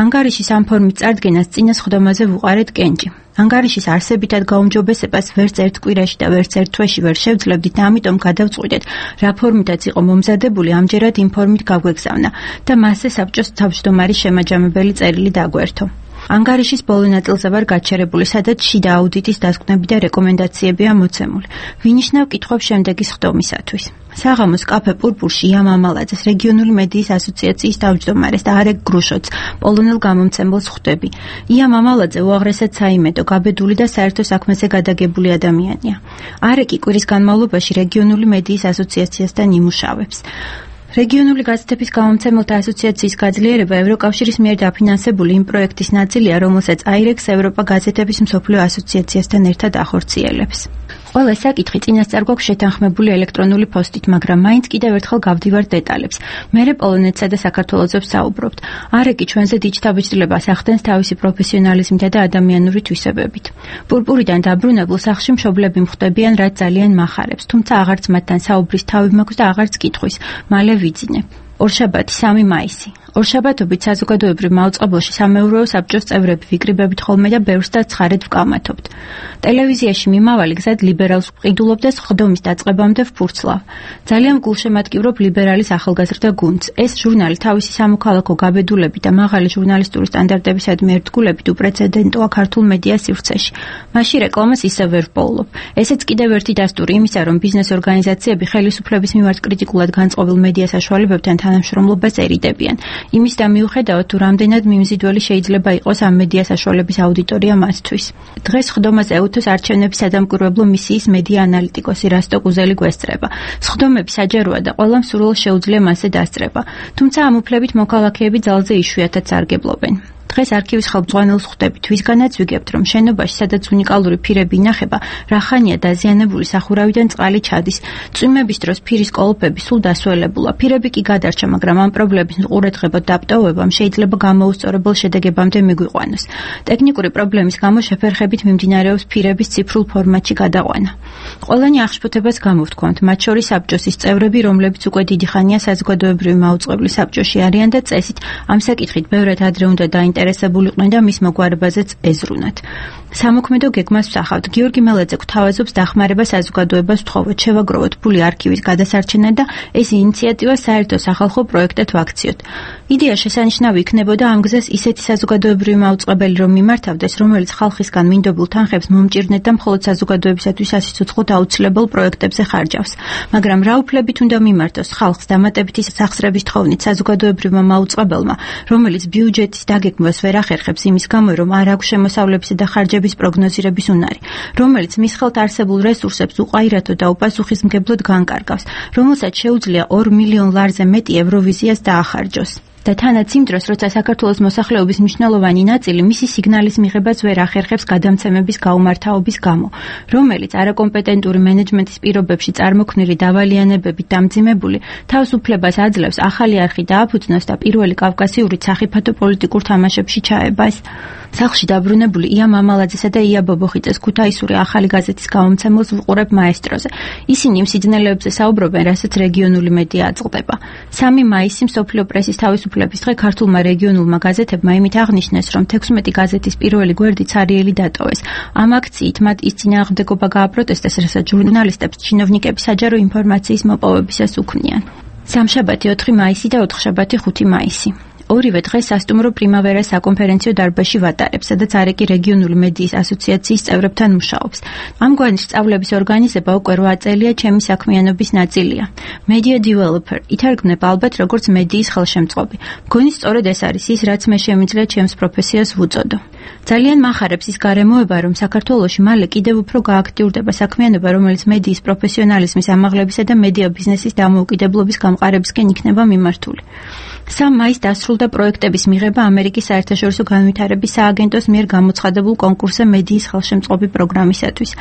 ანგარიშის ამ ფორმით წარდგენას წინა სხდომაზე ვუყარეთ კენჭი. ანგარიშის არსებითად გაუმჯობესებას ვერც ერთ კვირაში და ვერც ერთ თვეში ვერ შევძლებდით და ამიტომ გადავწყვიტეთ, რა ფორმითაც იყო მომზადებული, ამჯერად იმ ფორმით გაგვეგზავნა და მასზე საბჭოს თავმჯდომარის შემაჯამებელი წერილი დაგვერთო. ანგარიშის ბოლო ნაწილზე ვარ გაჩერებული, სადაც შიდა აუდიტის დასკვნები და რეკომენდაციებია მოცემული. ვინიშნავ კითხვებს შემდეგი სხდომისათვის. საღამოს კაფე პურპურში ია მამალაძეს, რეგიონული მედიის ასოციაციის თავმჯდომარეს და არეკ გრუშოც, პოლონელ გამომცემელს ხვდები. ია მამალაძე უაღრესად საიმედო, გაბედული და საერთო საქმეზე გადაგებული ადამიანია. არეკი კვირის განმავლობაში რეგიონული მედიის ასოციაციასთან იმუშავებს. რეგიონული გაზეთების გამომცემელთა ასოციაციის გაძლიერება ევროკავშირის მიერ დაფინანსებული იმ პროექტის ნაწილია, რომელსაც აირექს ევროპა გაზეთების მსოფლიო ასოციაციასთან ერთად ახორციელებს. ყველა საკითხი წინასწარ გვაქვს შეთანხმებული ელექტრონული პოსტით, მაგრამ მაინც კიდევ ერთხელ გავდივართ დეტალებს. მერე პოლონეთსა და საქართველოზე ვსაუბრობთ. არეკი ჩვენზე დიჯდაბიჯდლებას ახდენს თავისი პროფესიონალიზმითა და ადამიანური თვისებებით. პურპურიდან დაბრუნებულ სახლში მშობლები მხვდებიან, რაც ძალიან მახარებს, თუმცა აღარც მათთან საუბრის თავი მაქვს და აღარც კითხვის. მალე ვიძინე. ორშაბათი სამი მაისი. ორშაბათობით საზოგადოებრივ მაუწყებელში სამეურვეო საბჭოს წევრები ვიკრიბებით ხოლმე და ბევრს და ცხარედ ვკამათობთ. ტელევიზიაში მიმავალი გზად ლიბერალს ვყიდულობ და სხდომის დაწყებამდე ვფურცლავ. ძალიან გულშემატკივრობ ლიბერალის ახალგაზრდა გუნდს. ეს ჟურნალი თავისი სამოქალაქო გაბედულებით და მაღალი ჟურნალისტური სტანდარტებისადმი ერთგულებით უპრეცედენტოა ქართულ მედია სივრცეში. მასში რეკლამას ისევ ვერ ვპოულობ. ესეც კიდევ ერთი დასტური იმისა, რომ ბიზნეს ორგანიზაციები ხელისუფლების მიმართ კრიტიკულად განწყობილ მედია საშუალებებთან თანამშრომლობას ერიდებიან. იმის და მიუხედავად თუ რამდენად მიმზიდველი შეიძლება იყოს ამ მედია საშუალების აუდიტორია მასთვის. დღეს სხდომაზე ეუთოს არჩევნების სადამკვირვებლო მისიის მედია ანალიტიკოსი რასტო კუზელი გვესწრება. სხდომები საჯაროა და ყველა მსურველს შეუძლია მასზე დასწრება. თუმცა ამ უფლებით მოქალაქეები ძალზე იშვიათად სარგებლობენ. დღეს არქივის ხელმძღვანელს ხვდებით, ვისგანაც ვიგებთ, რომ შენობაში, სადაც უნიკალური ფირები ინახება, რახანია დაზიანებული სახურავიდან წყალი ჩადის. წვიმების დროს ფირის კოლოფები სულ დასველებულა. ფირები კი გადარჩა, მაგრამ ამ პრობლემის ყურადღებად დაპტოვებამ შეიძლება გამოუსწორებელ შედეგებამდე მიგვიყვანოს. ტექნიკური პრობლემის გამო შეფერხებით მიმდინარეობს ფირების ციფრულ ფორმატში გადაყვანა. ყველანი აღშფოთებას გამოვთქვამთ, მათ შორის საბჭოსის წევრები, რომლებიც უკვე დიდი ხანია საზოგადოებრივი მაუწყებლის საბჭოში არიან და წესით ამ საკითხით ბევრად ადრე უნდა დაინტერესებულიყვნენ და მის მოგვარებაზეც ეზრუნათ. სამოქმედო გეგმას ვსახავთ. გიორგი მელაძე გვთავაზობს დახმარება საზოგადოებას ვთხოვოთ, შევაგროვოთ ფული არქივის გადასარჩენად და ეს ინიციატივა საერთო სახალხო პროექტად ვაქციოთ. იდეა შესანიშნავი იქნებოდა ამ გზას ისეთი საზოგადოებრივი მაუწყებელი რომ მიმართავდეს, რომელიც ხალხისგან მინდობილ თანხებს მომჭირნეთ და მხოლოდ საზოგადოებისათვის სასიცოცხლოდ აუცილებელ პროექტებზე ხარჯავს. მაგრამ რა უფლებით უნდა მიმართოს ხალხს დამატებითი სახსრების თხოვნით საზოგადოებრივმა მაუწყებელმა, რომელიც ბიუჯეტის დაგეგმვას ვერ ახერხებს იმის გამო, რომ არ აქვს შემოსავლებისა და ხარჯების პროგნოზირების უნარი, რომელიც მის ხელთ არსებულ რესურსებს უყაირათო და უპასუხისმგებლოდ განკარგავს, რომელსაც შეუძლია ორ მილიონ ლარზე მეტი ევროვიზიას დაახარჯოს. და თანაც იმ დროს, როცა საქართველოს მოსახლეობის მნიშვნელოვანი ნაწილი მისი სიგნალის მიღებას ვერ ახერხებს გადამცემების გაუმართავობის გამო, რომელიც არაკომპეტენტური მენეჯმენტის პირობებში წარმოქმნილი დავალიანებებით დამძიმებული, თავს უფლებას აძლევს ახალი არხი დააფუძნოს და პირველი კავკასიური სახიფათო პოლიტიკურ თამაშებში ჩაებას. სახლში დაბრუნებული ია მამალაძესა და ია ბობოხიძეს ქუთაისური ახალი გაზეთის გამომცემელს ვუყურებ მაესტროზე. ისინი იმ სიძნელეებზე საუბრობენ, რასაც რეგიონული მედია აწყდება. სამი მაისი მსოფლიო პრესის თავისუფლების დღე ქართულმა რეგიონულმა გაზეთებმა იმით აღნიშნეს, რომ თექვსმეტი გაზეთის პირველი გვერდი ცარიელი დატოვეს. ამ აქციით მათ ის წინააღმდეგობა გააპროტესტეს, რასაც ჟურნალისტებს ჩინოვნიკები საჯარო ინფორმაციის მოპოვებისას უქმნიან. სამშაბათი ოთხი მაისი და ოთხშაბათი ხუთი მაისი. ორივე დღე სასტუმრო პრიმავერას საკონფერენციო დარბაზში ვატარებ, სადაც არეკი რეგიონული მედიის ასოციაციის წევრებთან მუშაობს. ამგვარი სწავლების ორგანიზება უკვე რვა წელია ჩემი საქმიანობის ნაწილია. Media developer ითარგმნება ალბათ როგორც მედიის ხელშემწყობი. მგონი სწორედ ეს არის ის, რაც მე შემიძლია ჩემს პროფესიას ვუწოდო. ძალიან მახარებს ის გარემოება, რომ საქართველოში მალე კიდევ უფრო გააქტიურდება საქმიანობა, რომელიც მედიის პროფესიონალიზმის ამაღლებისა და მედია ბიზნესის დამოუკიდებლობის გამყარებისკენ იქნება მიმართული. სამ მაისს დასრულდა პროექტების მიღება ამერიკის საერთაშორისო განვითარების სააგენტოს მიერ გამოცხადებულ კონკურსზე მედიის ხელშემწყობი პროგრამისათვის.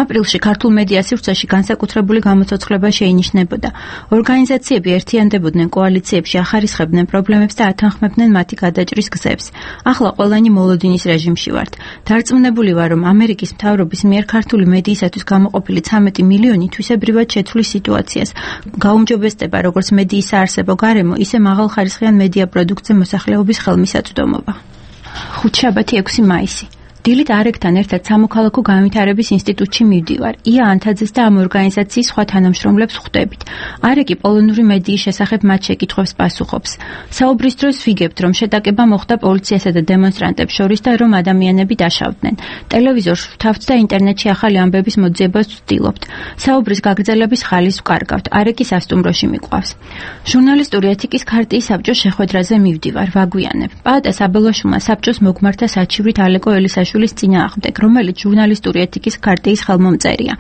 აპრილში ქართულ მედია სივრცეში განსაკუთრებული გამოცოცხლება შეინიშნებოდა. ორგანიზაციები ერთიანდებოდნენ კოალიციებში, ახარისხებდნენ პრობლემებს და ათანხმებდნენ მათი გადაჭრის გზებს. ახლა ყველანი მოლოდინის რეჟიმში ვართ. დარწმუნებული ვარ, რომ ამერიკის მთავრობის მიერ ქართული მედიისათვის გამოყოფილი ცამეტი მილიონი თვისებრივად შეცვლის სიტუაციას. გაუმჯობესდება როგორც მედიის საარსებო გარემო, ისე მაღალხარისხიან მედია პროდუქტზე მოსახლეობის ხელმისაწვდომობა. ხუთშაბათი ექვსი მაისი. დილით არეკთან ერთად სამოქალაქო განვითარების ინსტიტუტში მივდივარ. ია ანთაძეს და ამ ორგანიზაციის სხვა თანამშრომლებს ხვდებით. არეკი პოლონური მედიის შესახებ მათ შეკითხვებს პასუხობს. საუბრის დროს ვიგებთ, რომ შეტაკება მოხდა პოლიციასა და დემონსტრანტებს შორის და რომ ადამიანები დაშავდნენ. ტელევიზორს ვთავთ და ინტერნეტში ახალი ამბების მოძიებას ვცდილობთ. საუბრის გაგრძელების ხალის ვკარგავთ. არეკი სასტუმროში მიყვავს. ჟურნალისტური ეთიკის ქარტიის საბჭოს შეხვედრაზე მივდივარ. ვაგვიანებ. პაატა საბელაშვილმა საბჭოს მოგმართა საჩივრით ალეკო ელისაშვილის წინააღმდეგ, რომელიც ჟურნალისტური ეთიკის ქარტიის ხელმომწერია.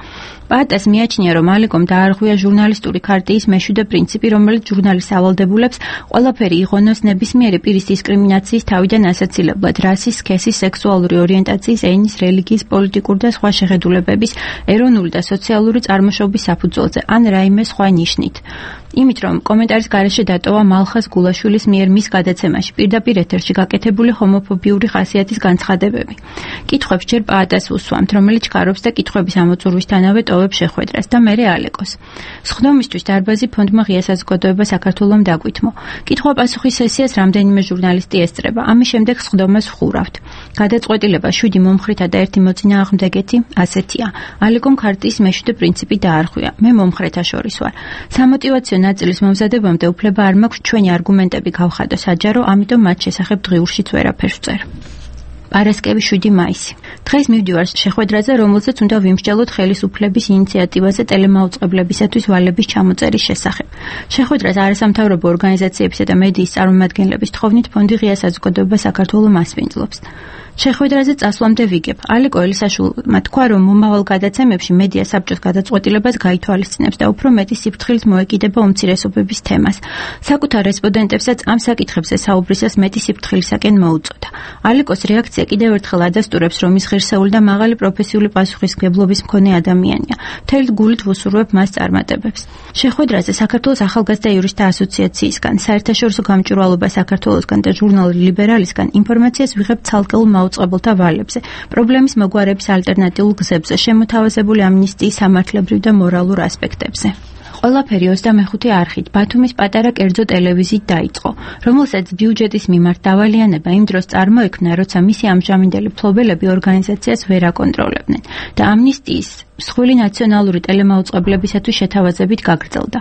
პაატას მიაჩნია, რომ ალეკომ დაარღვია ჟურნალისტური ქარტიის მეშვიდე პრინციპი, რომელიც ჟურნალის ავალდებულებს ყველაფერი იღონოს ნებისმიერი პირის დისკრიმინაციის თავიდან ასაცილებლად, რასის, სქესის, სექსუალური ორიენტაციის, ენის, რელიგიის, პოლიტიკური და სხვა შეხედულებების, ეროვნული და სოციალური წარმოშობის საფუძველზე, ან რაიმე სხვა ნიშნით. იმით, რომ კომენტარის გარეშე დატოვა მალხას გულაშვილის მიერ მის გადაცემაში პირდაპირ ეთერში გაკეთებული ჰომოფობიური ხასიათის განცხადებები. კითხვებს ჯერ პაატას უსვამთ, რომელიც ჩქარობს და კითხვების ამოწურვისთანავე ტოვებს შეხვედრას და მერე ალეკოს. სხდომისთვის დარბაზი ფონდმა ღია საზოგადოება საქართველომ დაგვითმო. კითხვა-პასუხის სესიას რამდენიმე ჟურნალისტი ესწრება. ამის შემდეგ სხდომას ვხურავთ. გადაწყვეტილება შვიდი მომხრეთა და ერთი მოწინააღმდეგეთი ასეთია. ალეკომ ქარტიის მეშვიდე პრინციპი დაარღვია. მე მომხრეთა შორის ვარ. სამოტივაციო ნაწილის მომზადებამდე უფლება არ მაქვს ჩვენი არგუმენტები გავხადო საჯარო, ამიტომ მათ შესახებ დღიურშიც ვერაფერს ვწერ. პარასკევი შვიდი მაისი. დღეს მივდივარ შეხვედრაზე, რომელზეც უნდა ვიმსჯელოთ ხელისუფლების ინიციატივაზე ტელემაუწყებლებისათვის ვალების ჩამოწერის შესახებ. შეხვედრას არასამთავრობო ორგანიზაციებისა და მედიის წარმომადგენლების თხოვნით ფონდი ღია საზოგადოება საქართველოს მასპინძლობს. შეხვედრაზე წასვლამდე ვიგებ. ალეკო ელისაშვილმა თქვა, რომ მომავალ გადაცემებში მედია საბჭოს გადაწყვეტილებას გაითვალისწინებს და უფრო მეტი სიფრთხილით მოეკიდება უმცირესობების თემას. საკუთარ რესპონდენტებსაც ამ საკითხებზე საუბრისას მეტი სიფრთხილისაკენ მოუწოდა. ალეკოს რეაქცია კიდევ ერთხელ ადასტურებს, რომ ის ღირსეული და მაღალი პროფესიული პასუხისმგებლობის მქონე ადამიანია. მთელი გულით ვუსურვებ მას წარმატებებს. შეხვედრაზე საქართველოს ახალგაზრდა იურისტთა ასოციაციისგან, საერთაშორისო გამჭვირვალობა საქართველოსგან და ჟურნალ ლიბერალისგან ინფორმაციას ვიღებ ცალკეულ მაუწყებელთა ვალებზე, პრობლემის მოგვარების ალტერნატიულ გზებზე, შემოთავაზებული ამნისტიის სამართლებრივ და მორალურ ასპექტებზე. ყველაფერი ოცდამეხუთე არხით ბათუმის პატარა კერძო ტელევიზიით დაიწყო, რომელსაც ბიუჯეტის მიმართ დავალიანება იმ დროს წარმოექმნა, როცა მისი ამჟამინდელი მფლობელები ორგანიზაციას ვერ აკონტროლებდნენ და ამნისტიის მსხვილი ნაციონალური ტელემაუწყებლებისათვის შეთავაზებით გაგრძელდა.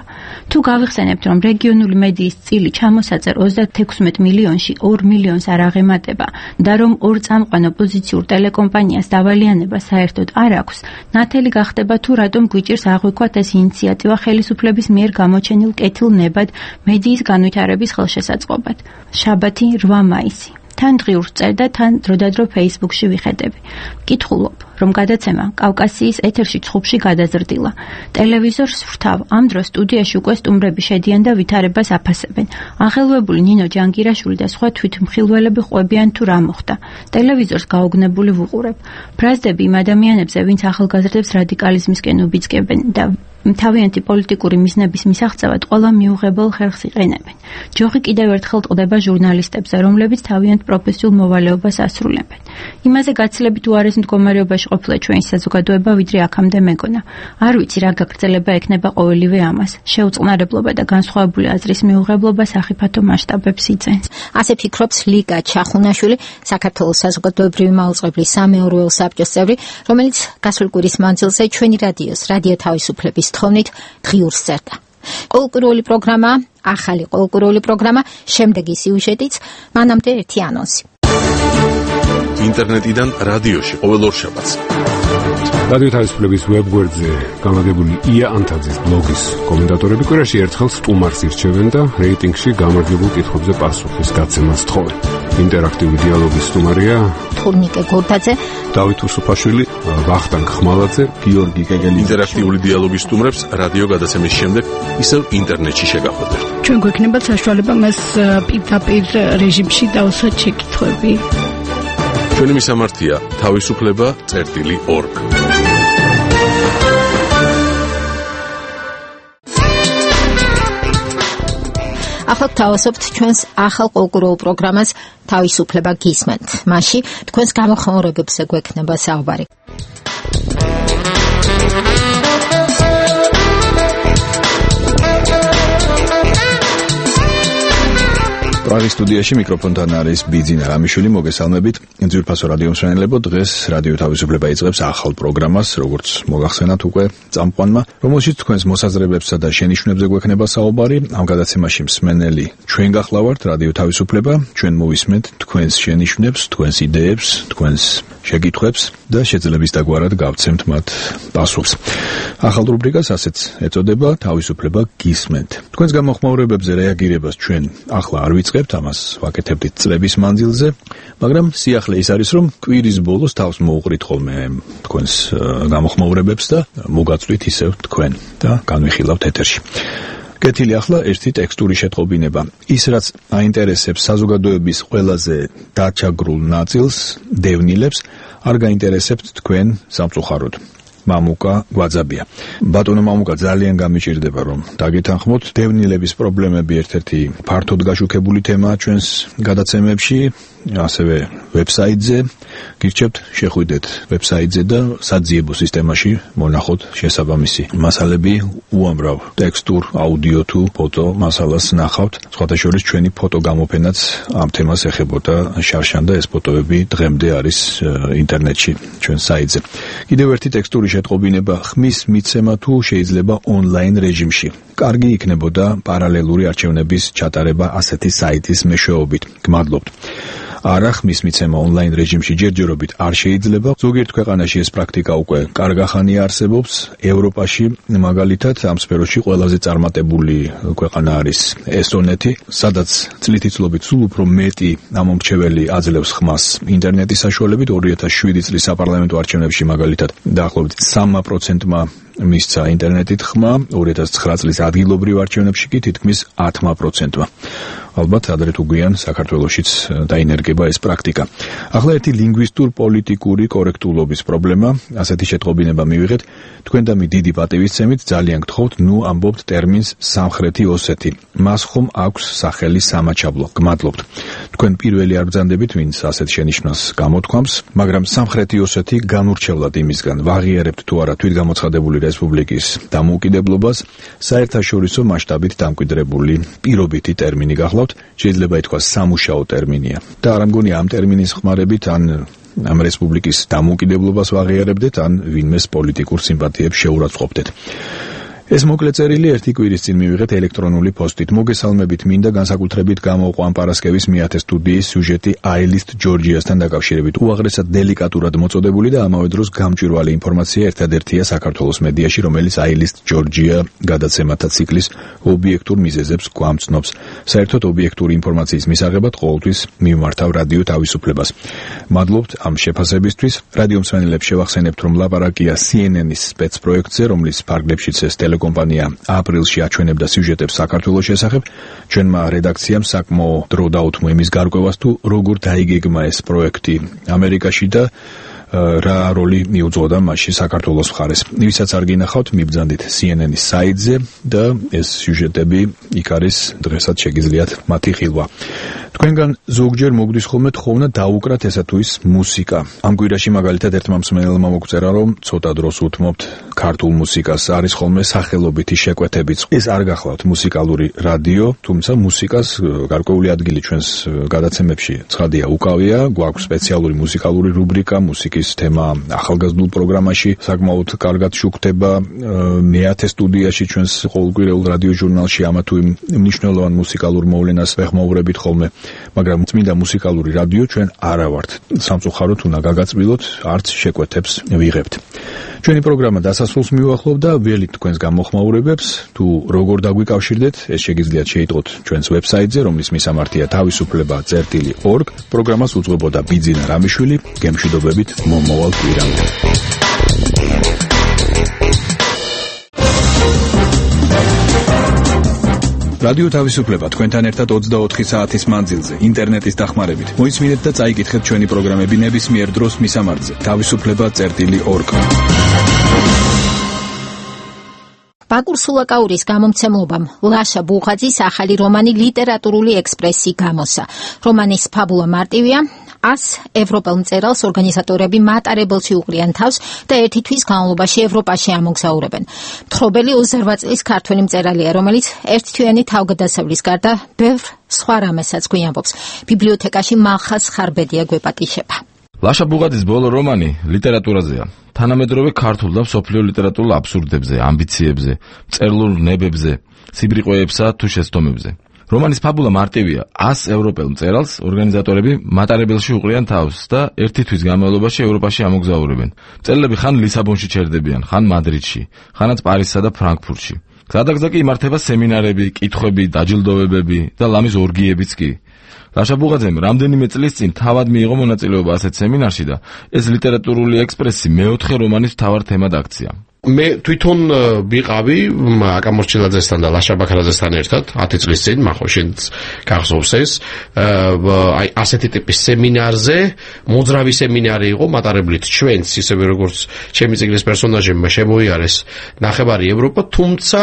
თუ გავიხსენებთ, რომ რეგიონული მედიის წილი ჩამოსაწერ ოცდათექვსმეტ მილიონში ორ მილიონს არ აღემატება და რომ ორ წამყვან ოპოზიციურ ტელეკომპანიას დავალიანება საერთოდ არ აქვს, ნათელი გახდება თუ რატომ გვიჭირს აღვიქვათ ეს ინიციატივა ხელისუფლების მიერ გამოჩენილ კეთილ ნებად მედიის განვითარების ხელშესაწყობად. შაბათი რვა მაისი. თან დღიურს წერ და თან დროდადრო ფეისბუქში ვიხედები. კითხულობ, რომ გადაცემა კავკასიის ეთერში ცხუბში გადაზრდილა. ტელევიზორს ვთავ, ამ დროს სტუდიაში უკვე სტუმრები შედიან და ვითარებას აფასებენ. ახელვებული ნინო ჯანგირაშვილი და სხვა თვითმხილველები ყვებიან თუ რა მოხდა. ტელევიზორს გაოგნებული ვუყურებ. ბრაზდები იმ ადამიანებზე, ვინც ახალგაზრდებს რადიკალიზმისკენ უბიძგებენ და თავიანთი პოლიტიკური მიზნების მისაღწევად ყველა მიუღებელ ხერხს იყენებენ. ჯოხი კიდევ ერთხელ ტყდება ჟურნალისტებზე, რომლებიც თავიანთ პროფესიულ მოვალეობას ასრულებენ. იმაზე გაცილებით უარეს მდგომარეობაში ყოფილა ჩვენი საზოგადოება, ვიდრე აქამდე მეგონა. არ ვიცი რა გაგრძელება ექნება ყოველივე ამას. შეუწყნარებლობა და განსხვავებული აზრის მიუღებლობა სახიფათო მასშტაბებს იძენს. ასე ფიქრობს ლიკა ჩახუნაშვილი, საქართველოს საზოგადოებრივი მაუწყებლის სამეურვეო საბჭოს წევრი, რომელიც გასული კვირის მანძილზე ჩვენი რადიოს, რადიო თავისუფლების თხოვნით დღიურს წერდა. ყოველკვირეული პროგრამა, ახალი ყოველკვირეული პროგრამა, შემდეგი სიუჟეტიც, მანამდე ერთი ანონსი. ინტერნეტიდან რადიოში ყოველ ორშაბათს. რადიო თავისუფლების ვებგვერდზე გამაგებული ია ანთაძის ბლოგის კომენტატორები კვირაში ერთხელ სტუმარს ირჩევენ და რეიტინგში გამარჯვებულ კითხვებზე პასუხის გაცემას თხოვენ. ინტერაქტიული დიალოგის სტუმარია თურნიკე გორდაძე, დავით უსუფაშვილი, ვახტანგ ხმალაძე, გიორგი კეგელი. ინტერაქტიული დიალოგის სტუმრებს რადიო გადაცემის შემდეგ ისევ ინტერნეტში შეგახვედრთ. ჩვენ გვექნება საშუალება მას პირდაპირ რეჟიმში დავსვათ შეკითხვები. ჩვენი მისამართია თავისუფლება წერტილი ორგ. ახლა თავისუფლთ ჩვენს ახალ კულტურულ პროგრამას თავისუფლება გისმენთ. მასში თქვენს გამოხმაურებებზე გვექნება საუბარი. პრაღის სტუდიაში მიკროფონთან არის ბიძინა რამიშვილი. მოგესალმებით. ძვირფასო რადიო მსმენელებო, დღეს რადიო თავისუფლება იწყებს ახალ პროგრამას, როგორც მოგახსენათ უკვე წამყვანმა, რომელშიც თქვენს მოსაზრებებსა და შენიშვნებზე გვექნება საუბარი. ამ გადაცემაში მსმენელი ჩვენ გახლავართ, რადიო თავისუფლება, ჩვენ მოვისმენთ თქვენს შენიშვნებს, თქვენს იდეებს, თქვენს შეკითხვებს და შეძლების დაგვარად გავცემთ მათ პასუხს. ახალ რუბრიკას ასეც ეწოდება თავისუფლება გისმენთ. თქვენს გამოხმაურებებზე რეაგირებას ჩვენ ახლა არ ვიწყებთ, ამას ვაკეთებდით წლების მანძილზე, მაგრამ სიახლე ის არის, რომ კვირის ბოლოს თავს მოუყრით ხოლმე თქვენს გამოხმაურებებს და მოგაწვით ისევ თქვენ და განვიხილავთ ეთერში. კეთილი ახლა ერთი ტექსტური შეტყობინება. ის, რაც აინტერესებს საზოგადოების ყველაზე დაჩაგრულ ნაწილს, დევნილებს, არ გაინტერესებთ თქვენ სამწუხაროდ. მამუკა გვაძაბია. ბატონო მამუკა, ძალიან გამიჭირდება რომ დაგეთანხმოთ. დევნილების პრობლემები ერთ-ერთი ფართოდ გაშუქებული თემაა ჩვენს გადაცემებში, ასევე ვებსაიტზე. გირჩევთ შეხვიდეთ ვებსაიტზე და საძიებო სისტემაში მონახოთ შესაბამისი მასალები, უამრავ ტექსტურ, აუდიო თუ ფოტო მასალას ნახავთ. სხვათა შორის ჩვენი ფოტო გამოფენაც ამ თემას ეხებოდა შარშან და ეს ფოტოები დღემდე არის ინტერნეტში ჩვენ საიტზე. კიდევ ერთი ტექსტური შეტყობინება. ხმის მიცემა თუ შეიძლება ონლაინ რეჟიმში. კარგი იქნებოდა პარალელური არჩევნების ჩატარება ასეთი საიტის მეშვეობით. გმადლობთ. არა, ხმის მიცემა ონლაინ რეჟიმში ჯერჯერობით არ შეიძლება. ზოგიერთ ქვეყანაში ეს პრაქტიკა უკვე კარგა ხანია არსებობს. ევროპაში მაგალითად ამ სფეროში ყველაზე წარმატებული ქვეყანა არის ესტონეთი, სადაც წლითი წლობით სულ უფრო მეტი ამომრჩეველი აძლევს ხმას ინტერნეტის საშუალებით. ორი ათას შვიდი წლის საპარლამენტო არჩევნებში მაგალითად დაახლოებით სამმა პროცენტმა მისცა ინტერნეტით ხმა, ორი ათას ცხრა წლის ადგილობრივ არჩევნებში კი თითქმის ათმა პროცენტმა. ალბათ ადრე თუ გვიან საქართველოშიც დაინერგება ეს პრაქტიკა. ახლა ერთი ლინგვისტურ პოლიტიკური კორექტულობის პრობლემა, ასეთი შეტყობინება მივიღეთ. თქვენ და მე დიდი პატივისცემით ძალიან გთხოვთ, ნუ ამბობთ ტერმინს სამხრეთი ოსეთი. მას ხომ აქვს სახელი სამაჩაბლო. გმადლობთ. თქვენ პირველი არ ბრძანდებით, ვინც ასეთ შენიშვნას გამოთქვამს, მაგრამ სამხრეთი ოსეთი განურჩევლად იმისგან ვაღიარებთ თუ არა თვითგამოცხადებული რესპუბლიკის დამოუკიდებლობას, საერთაშორისო მასშტაბით დამკვიდრებული პირობითი ტერმინი გახლავთ. შეიძლება ითქვას სამუშაო ტერმინია და არ მგონი ამ ტერმინის ხმარებით ან ამ რესპუბლიკის დამოუკიდებლობას ვაღიარებდეთ, ან ვინმეს პოლიტიკურ სიმპათიებს შეურაცხყოფდეთ. ეს მოკლე წერილი ერთი კვირის წინ მივიღეთ ელექტრონული პოსტით. მოგესალმებით, მინდა განსაკუთრებით გამოვყვა ამ პარასკევის მეათე სტუდიის სიუჟეტი აილისტ ჯორჯიასთან დაკავშირებით. უაღრესად დელიკატურად მოწოდებული და ამავე დროს გამჭვირვალე ინფორმაცია ერთადერთია საქართველოს მედიაში, რომელიც აილისტ ჯორჯია გადაცემათა ციკლის ობიექტურ მიზეზებს გვამცნობს. საერთოდ ობიექტური ინფორმაციის მისაღებად ყოველთვის მივმართავ რადიო თავისუფლებას. მადლობთ ამ შეფასებისთვის. რადიო მსმენელებს შევახსენებთ, რომ ლაპარაკია სი ენ ენ-ის სპეცპროექტზე, რომლის ფარგლებშიც ეს ტელეკომპანია აპრილში აჩვენებდა სიუჟეტებს საქართველოს შესახებ. ჩვენმა რედაქციამ საკმაო დრო დაუთმო იმის გარკვევას, თუ როგორ დაიგეგმა ეს პროექტი ამერიკაში და რა როლი მიუძღოდა მასში საქართველოს მხარეს. ვისაც არ გინახავთ, მიბრძანდით სი ენ ენ-ის საიტზე და ეს სიუჟეტები იქ არის, დღესაც შეგიძლიათ მათი ხილვა. თქვენგან ზოგჯერ მოგდის ხოლმე თხოვნა დაუკრათ ესა თუ ის მუსიკა. ამ კვირაში მაგალითად ერთმა მსმენელმა მოგწერა, რომ ცოტა დროს უთმობთ ქართულ მუსიკას, არის ხოლმე სახელობითი შეკვეთებიც. ეს არ გახლავთ მუსიკალური რადიო, თუმცა მუსიკას გარკვეული ადგილი ჩვენს გადაცემებში ცხადია უკავია. გვაქვს სპეციალური მუსიკალური რუბრიკა, მუსიკის თემა ახალგაზრდულ პროგრამაში საკმაოდ კარგად შუქდება. მეათე სტუდიაში ჩვენს ყოველკვირეულ რადიო ჟურნალში ამა თუ იმ მნიშვნელოვან მუსიკალურ მოვლენას ვეხმაურებით ხოლმე. მაგრამ წმინდა მუსიკალური რადიო ჩვენ არა ვართ. სამწუხაროდ უნდა გაგაწმილოთ, არც შეკვეთებს ვიღებთ. ჩვენი პროგრამა დასასრულს მიუახლოვ და ველით თქვენს გამოხმაურებებს, თუ როგორ დაგვიკავშირდეთ, ეს შეგიძლიათ შეიტყოთ ჩვენს ვებსაიტზე, რომლის მისამართია თავისუფლება წერტილი ორგ. პროგრამას უძღვებოდა ბიძინა რამიშვილი, გემშვიდობებით მომავალ კვირამდე. რადიო თავისუფლება თქვენთან ერთად ოცდაოთხი საათის მანძილზე ინტერნეტის დახმარებით. მოისმინეთ და წაიკითხეთ ჩვენი პროგრამები ნებისმიერ დროს მისამართზე. თავისუფლება წერტილი ორგ. ბაკურ სულაკაურის გამომცემლობამ ლაშა ბუღაძის ახალი რომანი ლიტერატურული ექსპრესი გამოსცა. რომანის ფაბულა მარტივია. ას ევროპელ მწერალს ორგანიზატორები მატარებელში უყრიან თავს და ერთი თვის განმავლობაში ევროპაში ამოგზაურებენ. მთხრობელი ოცდაოთხ წლის ქართველი მწერალია, რომელიც ერთთვიანი თავგადასავლის გარდა ბევრ სხვა რამესაც გვიამბობს. ბიბლიოთეკაში მალხაზ ხარბედია გვეპატიშება. ლაშა ბუღაძის ბოლო რომანი ლიტერატურაზეა. თანამედროვე ქართულ და მსოფლიო ლიტერატურულ აბსურდებზე, ამბიციებზე, მწერლურ ნებებზე, სიბრიყვეებსა თუ შეცდომებზე. რომანის ფაბულა მარტივია. ას ევროპელ მწერალს ორგანიზატორები მატარებელში უყრიან თავს და ერთი თვის განმავლობაში ევროპაში ამოგზაურებენ. მწერლები ხან ლისაბონში ჩერდებიან, ხან მადრიდში, ხანაც პარიზსა და ფრანკფურტში. გზადაგზა კი იმართება სემინარები, კითხვები, დაჯილდოებები და ლამის ორგიებიც კი. ლაშა ბუღაძემ რამდენიმე წლის წინ თავად მიიღო მონაწილეობა ასეთ სემინარში და ეს ლიტერატურული ექსპრესი მეოთხე რომანის მთავარ თემად აქცია. მე თვითონ ვიყავი აკა მორჩილაძესთან და ლაშა ბაქრაძესთან ერთად ათი წლის წინ, მახო შენც გახსოვს ეს, აი ასეთი ტიპის სემინარზე, მოძრავი სემინარი იყო მატარებლით ჩვენც, ისევე როგორც ჩემი წიგნის პერსონაჟებმა შემოიარეს ნახევარი ევროპა, თუმცა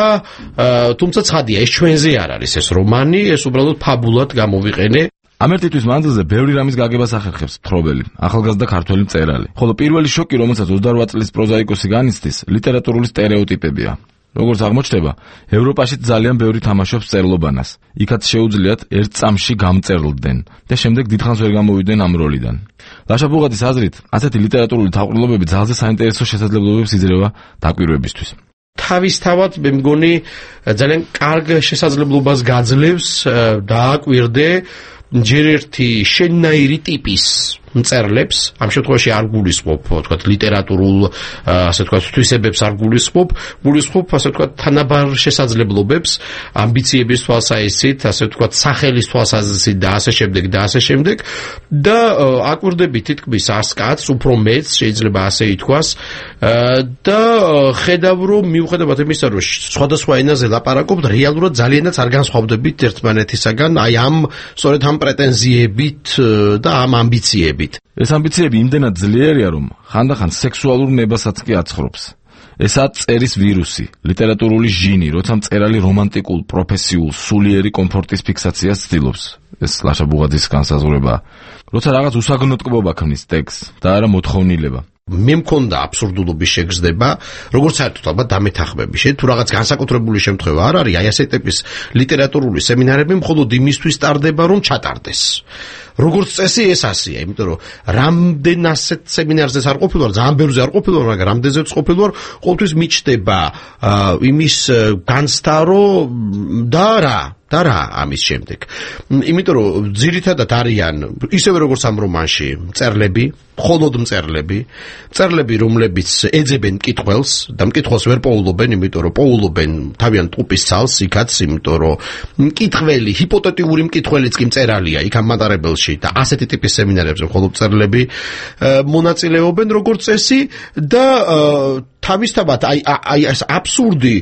თუმცა ცხადია, ეს ჩვენზე არ არის ეს რომანი, ეს უბრალოდ ფაბულად გამოვიყენე. ამ ერთი თვის მანძილზე ბევრი რამის გაგებას ახერხებს მთხრობელი, ახალგაზრდა ქართველი მწერალი. ხოლო პირველი შოკი, რომელსაც ოცდაოთხ წლის პროზაიკოსი განიცდის, ლიტერატურული სტერეოტიპებია. როგორც აღმოჩნდება, ევროპაში ძალიან ბევრი თამაშობს მწერლობანას. იქაც შეუძლიათ ერთ წამში გამწერლდნენ და შემდეგ დიდხანს ვერ გამოვიდნენ ამ როლიდან. ლაშა ბუღაძის აზრით, ასეთი ლიტერატურული თავყრილობები ძალზე საინტერესო შესაძლებლობებს იძლევა დაკვირვებისთვის. თავისთავად მე მგონი ძალიან კარგ შესაძლებლობას გაძლევს დააკვირდე ჯერ ერთი შენნაირი ტიპის მწერლებს, ამ შემთხვევაში არ გულისხმობ, თქვათ, ლიტერატურულ, ასე თქვათ, თვისებებს არ გულისხმობ, გულისხმობ, ასე თქვათ, თანაბარ შესაძლებლობებს, ამბიციების თვალსაზრისით, ასე ვთქვათ, სახელის თვალსაზრისით და ასე შემდეგ და ასე შემდეგ და აკვირდები თითქმის ას კაცს, უფრო მეც შეიძლება ასე ითქვას და ხედავ, რომ მიუხედავად იმისა, რომ სხვადასხვა ენაზე ლაპარაკობთ, რეალურად ძალიანაც არ განსხვავდებით ერთმანეთისაგან, აი ამ სწორედ ამ პრეტენზიებით და ამ ამბიციებით. ეს ამბიციები იმდენად ძლიერია, რომ ხანდახან სექსუალურ ნებასაც კი აცხრობს. ესაა წერის ვირუსი, ლიტერატურული ჟინი, როცა მწერალი რომანტიკულ, პროფესიულ, სულიერი კომფორტის ფიქსაციას ცდილობს. ეს ლაშა ბუღაძის განსაზღვრებაა. როცა რაღაც უსაგნოტკბობა ქმნის ტექსტს და არა მოთხოვნილება. მე მქონდა აბსურდულობის შეგრძნება, როგორც საერთოდ ალბათ დამეთახმები. შენ თუ რაღაც განსაკუთრებული შემთხვევა არ არის, აი ასეთ ტიპის ლიტერატურული სემინარები მხოლოდ იმისთვის ტარდება, რომ ჩატარდეს. როგორც წესი ეს ასია, იმიტომ რომ რამდენ ასეთ სემინარზეც არ ყოფილვარ, ძალიან ბევრზე არ ყოფილვარ, მაგრამ რამდენზეც ყოფილვარ, ყოველთვის მიჩნდება იმის განცდა, რომ და რა და რა ამის შემდეგ. იმიტომ რომ ძირითადად არიან ისევე როგორც ამ რომანში მწერლები, მხოლოდ მწერლები, მწერლები, რომლებიც ეძებენ მკითხველს და მკითხველს ვერ პოულობენ, იმიტომ რომ პოულობენ თავიანთ ტყუპის ცალს, იქაც, იმიტომ რომ მკითხველი, ჰიპოთეტიური მკითხველიც კი მწერალია, იქ ამ მატარებელში და ასეთი ტიპის სემინარებზე მხოლოდ მწერლები მონაწილეობენ როგორც წესი და თავისთავად აი აი ეს აბსურდი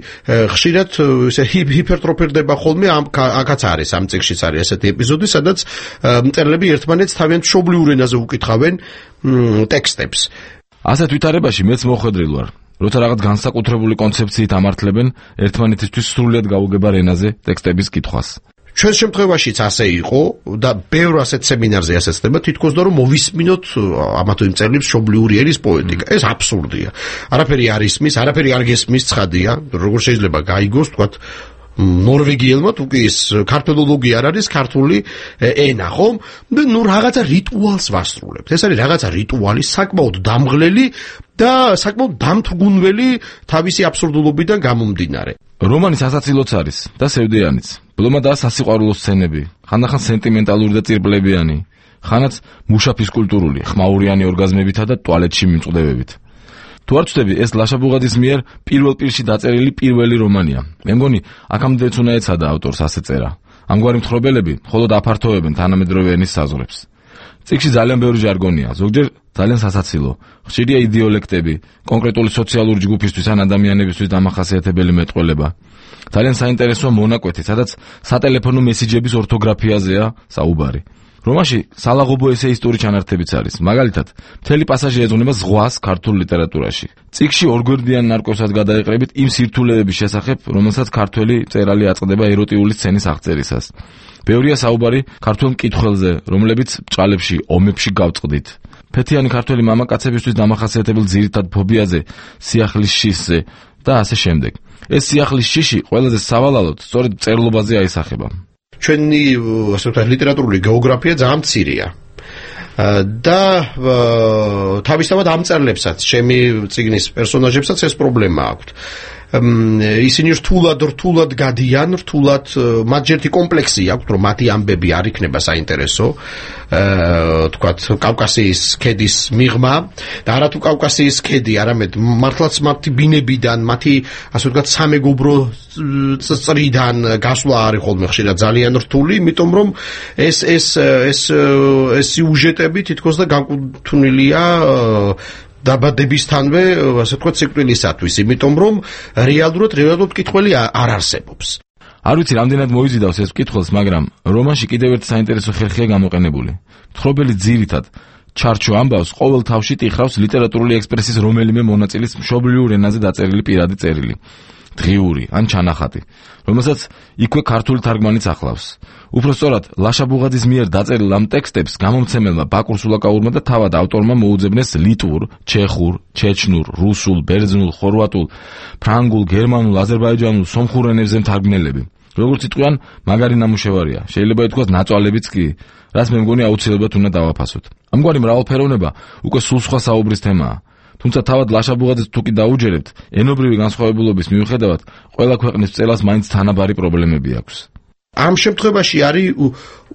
ხშირად ესე ჰიპერტროფირდება ხოლმე ამ აქაც არის ამ წიგნშიც არის ესეთი ეპიზოდი, სადაც მწერლები ერთმანეთს თავიანთ მშობლიურ ენაზე უკითხავენ ტექსტებს. ასეთ ვითარებაში მეც მოხვედრილ ვარ. როცა რაღაც განსაკუთრებული კონცეფციით ამართლებენ ერთმანეთისთვის სრულიად გაუგებარ ენაზე ტექსტების კითხვას. ჩვენ შემთხვევაშიც ასე იყო და ბევრ ასეთ სემინარზე ასე ხდება, თითქოს და რომ მოვისმინოთ ამა თუ იმ მწერლის მშობლიური ენის პოეტიკა. ეს აბსურდია. არაფერი არ ისმის, არაფერი არ გესმის, ცხადია, როგორ შეიძლება გაიგოს, თქვათ, ნორვეგიელმა თუ კი ის ქართოლოგია არ არის ქართული ენა, ხომ? და ნუ რაღაცა რიტუალს ვასრულებთ. ეს არის რაღაცა რიტუალი, საკმაოდ დამღლელი და საკმაოდ დამთრგუნველი თავისი აბსურდულობიდან გამომდინარე. რომანის ასაცილოც არის და სევდიანიც. ბლომა და სასიყვარულო სცენები, ხანდახან სენტიმენტალური და წირპლებიანი, ხანაც მუშაფის კულტურული, ხმაურიანი ორგაზმებითა და ტუალეტში მიმწყდებებით. თუ არ ვწდები, ეს ლაშა ბუღაძის მიერ პირველ პირში დაწერილი პირველი რომანია. მე მგონი, აქამდეც უნდა ეცადა ავტორს ასე წერა. ამგვარი მთხრობელები მხოლოდ აფართოვებენ თანამედროვე ენის საზღვრებს. წიგნში ძალიან ბევრი ჟარგონია, ზოგჯერ ძალიან სასაცილო. ხშირია იდეოლექტები, კონკრეტული სოციალური ჯგუფისთვის ან ადამიანებისთვის დამახასიათებელი მეტყველება. ძალიან საინტერესოა მონაკვეთი, სადაც სატელეფონო მესიჯების ორთოგრაფიაზეა საუბარი. რომაში სალაღობო ესეისტური ჩანართებიც არის. მაგალითად, მთელი პასაჟი ეძღვნება ზღვას ქართულ ლიტერატურაში. წიგნში ორგვერდიან ნარკვევსაც გადაეყრებით იმ სირთულეების შესახებ, რომელსაც ქართველი მწერალი აწყდება ეროტიული სცენის აღწერისას. ბევრია საუბარი ქართულ მკითხველზე, რომლებიც ბჭყალებში, ომებში გავწყდით. ფეთიანი ქართველი მამაკაცებისთვის დამახასიათებელ ძირითად ფობიაზე, სიახლის შიშზე და ასე შემდეგ. ეს სიახლის შიში ყველაზე სავალალოდ სწორედ მწერლობაზე აისახება. ჩვენი ასე ვთქვათ ლიტერატურული გეოგრაფია ძალიან მცირეა. და თავისთავად ამ მწერლებსაც, ჩემი წიგნის პერსონაჟებსაც ეს პრობლემა აქვთ. ისინი რთულად რთულად გადიან, რთულად მათ ჯერთი კომპლექსი აქვთ, რომ მათი ამბები არ იქნება საინტერესო, თქვათ კავკასიის ქედის მიღმა და არათუ კავკასიის ქედი, არამედ მართლაც მათი ბინებიდან, მათი ასე ვთქვათ სამეგობრო წრიდან გასვლა არის ხოლმე ხშირად ძალიან რთული, იმიტომ რომ ეს ეს ეს ეს სიუჟეტები თითქოს და განკუთვნილია დაბადებისთანვე, ასე ვთქვათ, სიკვდილისათვის, იმიტომ რომ რეალურად რეალურად მკითხველი არ არსებობს. არ ვიცი, რამდენად მოიზიდავს ეს მკითხველს, მაგრამ რომანში კიდევ ერთი საინტერესო ხერხია გამოყენებული. მთხრობელი ძირითად ჩარჩო ამბავს ყოველ თავში ტიხრავს ლიტერატურული ექსპრესიის რომელიმე მონაწილის მშობლიურ ენაზე დაწერილი პირადი წერილი. დღიური ან ჩანახატი, რომელსაც იქვე ქართული თარგმანიც ახლავს. უпростоრად ლაშა ბუღაძის მიერ დაწერილ ამ ტექსტებს გამომცემელმა ბაკურ სულაკაურმა და თავად ავტორმა მოუძებნეს ლიტვურ, ჩეხურ, ჩეჩნურ, რუსულ, ბერძნულ, ხორვატულ, ფრანგულ, გერმანულ, აზერბაიჯანულ, სომხურ ენებზე მთარგმნელები. როგორც იტყვიან, მაგარი ნამუშევარია. შეიძლება ითქვას ნაწვალებიც კი, რაც მე მგონი აუცილებლად უნდა დავაფასოთ. ამგვარი მრავალფეროვნება უკვე სულ სხვა საუბრის თემაა. თუმცა თავად ლაშა ბუღაძეს თუ კი დაუჯერებთ, ენობრივი განსხვავებულობის მიუხედავად, ყველა ქვეყნის მწერალს მაინც თანაბარი პრობლემები აქვს. ამ შემთხვევაში არის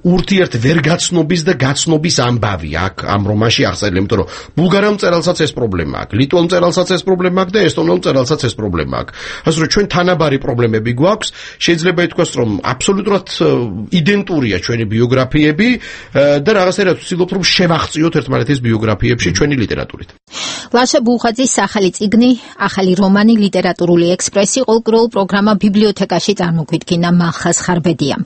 ურთიერთ ვერგაცნობის და გაცნობის ამბავი აქ ამ რომანში აღწერილი, იმიტომ რომ ბულგარელ მწერალსაც ეს პრობლემა აქვს, ლიტველ მწერალსაც ეს პრობლემა აქვს და ესტონელ მწერალსაც ეს პრობლემა აქვს. ასე რომ ჩვენ თანაბარი პრობლემები გვაქვს, შეიძლება ითქვას, რომ აბსოლუტურად იდენტურია ჩვენი ბიოგრაფიები და რაღაცნაირად ვცდილობთ რომ შევახციოთ ერთმანეთის ბიოგრაფიებში ჩვენი ლიტერატურით. ლაშა ბუღაძის ახალი წიგნი, ახალი რომანი, ლიტერატურული ექსპრესი ყოველდღიურ პროგრამა ბიბლიოთეკაში წარმოგვიდგინა მალხაზ ხარბედიამ.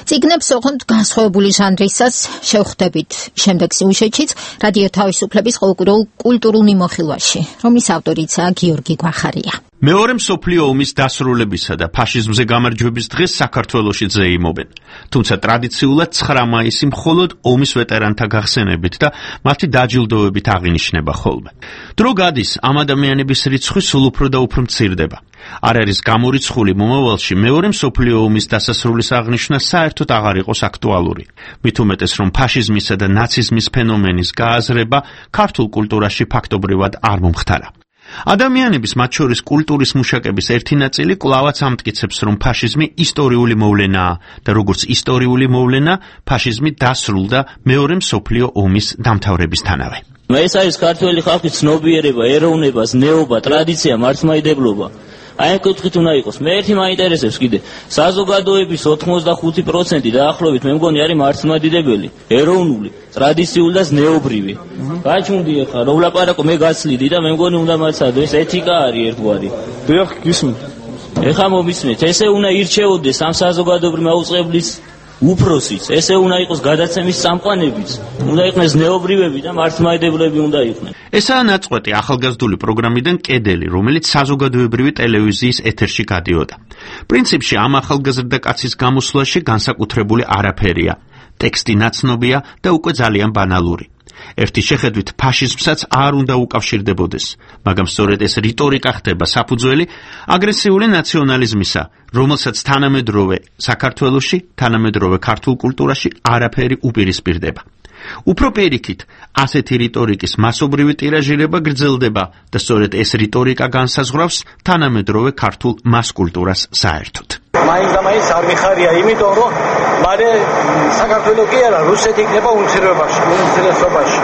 წიგნებს ოღონდ განსხვავებული ჟანრისას შევხვდებით შემდეგ სიუჟეტშიც რადიო თავისუფლების ყოველდღიურ კულტურულ მიმოხილვაში, რომლის ავტორიცაა გიორგი გვახარია. მეორე მსოფლიო ომის დასრულებისა და ფაშიზმზე გამარჯვების დღეს საქართველოში ზეიმობენ. თუმცა ტრადიციულად ცხრა მაისი მხოლოდ ომის ვეტერანთა გახსენებით და მათი დაჯილდოებით აღინიშნება ხოლმე. დრო გადის, ამ ადამიანების რიცხვი სულ უფრო და უფრო მცირდება. არ არის გამორიცხული მომავალში მეორე მსოფლიო ომის დასასრულის აღნიშვნა საერთოდ აღარ იყოს აქტუალური. მით უმეტეს, რომ ფაშიზმისა და ნაციზმის ფენომენის გააზრება ქართულ კულტურაში ფაქტობრივად არ მომხდარა. ადამიანების, მათ შორის კულტურის მუშაკების ერთი ნაწილი კვლავაც ამტკიცებს, რომ ფაშიზმი ისტორიული მოვლენაა და როგორც ისტორიული მოვლენა, ფაშიზმი დასრულდა მეორე მსოფლიო ომის დამთავრებისთანავე. ეს არის ქართველი ხალხის ცნობიერება, ეროვნება, ზნეობა, ტრადიცია, მართლმადიდებლობა. აი ამ კუთხით უნდა იყოს. მე ერთი მაინტერესებს კიდე. საზოგადოების ოთხმოცდახუთი პროცენტი დაახლოებით მე მგონი არის მართლმადიდებელი, ეროვნული, ტრადიციული და ზნეობრივი. გაჩუნდი ახლა, რომ ვლაპარაკო, მე გაცლიდი და მე მგონი უნდა მაცადო, ეს ეთიკა არის ერთგვარი. დიახ, გისმენთ. ეხლა მომისმენთ, ესე უნდა ირჩეოდეს ამ საზოგადოებრივ მაუწყებლის უფროსიც, ესე უნდა იყოს გადაცემის წამყვანებიც, უნდა იყვნენ ზნეობრივები და მართლმადიდებლები უნდა იყვნენ. ესაა ნაწყვეტი ახალგაზრდული პროგრამიდან კედელი, რომელიც საზოგადოებრივი ტელევიზიის ეთერში გადიოდა. პრინციპში ამ ახალგაზრდა კაცის გამოსვლაში განსაკუთრებული არაფერია. ტექსტი ნაცნობია და უკვე ძალიან ბანალური. ერთი შეხედვით ფაშიზმსაც არ უნდა უკავშირდებოდეს, მაგრამ სწორედ ეს რიტორიკა ხდება საფუძველი აგრესიული ნაციონალიზმისა, რომელსაც თანამედროვე საქართველოში, თანამედროვე ქართულ კულტურაში არაფერი უპირისპირდება. უფრო პირიქით, ასეთი რიტორიკის მასობრივი ტირაჟირება გრძელდება და სწორედ ეს რიტორიკა განსაზღვრავს თანამედროვე ქართულ მას კულტურას საერთოდ. მაინც და მაინც არ მიხარია, იმიტომ რომ მალე საქართველოს კი არა, რუსეთი იქნება უმცირესობაში, უმცირესობაში.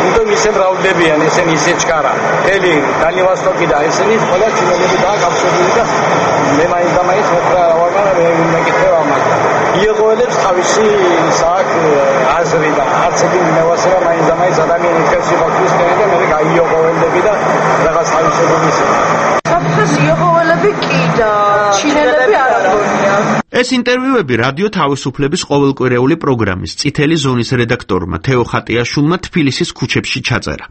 იმიტომ ისე მრავლდებიან, ესენი ისე ჩკარა. მთელი დალივასტოკი და ესენი ყველა ჩინელები დააკავშირებული და მე მაინც და მაინც მეტრა ვარ და მე მეკითხება მაგას. იღოელებს თავისი საკ აზრი და არც ერთი მევასება მაინც და მაინც ადამიანის ხელში მოხდეს და მე გაიოღოელები და რაღაც თავისებური ისაა. საფრთხეს იღოელები კი და ჩინელები არ აღგონია. ეს ინტერვიუები რადიო თავისუფლების ყოველკვირეული პროგრამის წითელი ზონის რედაქტორმა თეო ხატიაშვილმა თბილისის ქუჩებში ჩაწერა.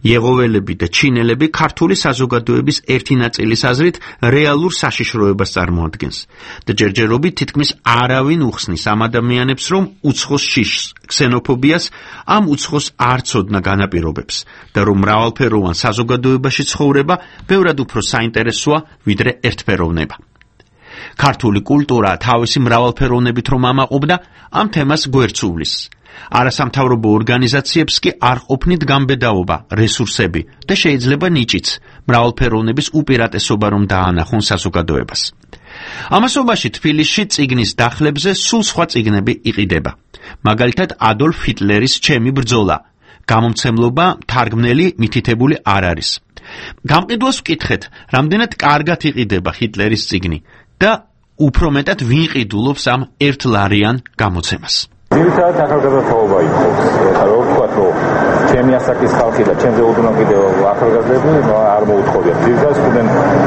იეღოველები და ჩინელები ქართული საზოგადოების ერთი ნაწილის აზრით რეალურ საშიშროებას წარმოადგენს და ჯერჯერობით თითქმის არავინ უხსნის ამ ადამიანებს, რომ უცხოს შიშს, ქსენოფობიას, ამ უცხოს არ ცოდნა განაპირობებს და რომ მრავალფეროვან საზოგადოებაში ცხოვრება ბევრად უფრო საინტერესოა, ვიდრე ერთფეროვნება. ქართული კულტურა თავისი მრავალფეროვნებით რომ ამაყობდა, ამ თემას გვერდს უვლის. არასამთავრობო ორგანიზაციებს კი არ ყოფნით გამბედაობა, რესურსები და შეიძლება ნიჭიც, მრავალფეროვნების უპირატესობა რომ დაანახონ საზოგადოებას. ამასობაში თბილისში წიგნის დახლებზე სულ სხვა წიგნები იყიდება. მაგალითად ადოლფ ჰიტლერის ჩემი ბრძოლა. გამომცემლობა თარგმნელი მითითებული არ არის. გამყიდველს ვკითხეთ, რამდენად კარგად იყიდება ჰიტლერის წიგნი და უფრო მეტად ვინ ყიდულობს ამ ერთლარიან გამოცემას. ძირითადად ახალგაზრდობა იყო. ეხლა რო ვთქვათ, რომ ჩემი ასაკის ხალხი და ჩემზე უდრუნო კიდევ ახალგაზრდები არ მოუთხოვია. ძირითადად სტუდენტები.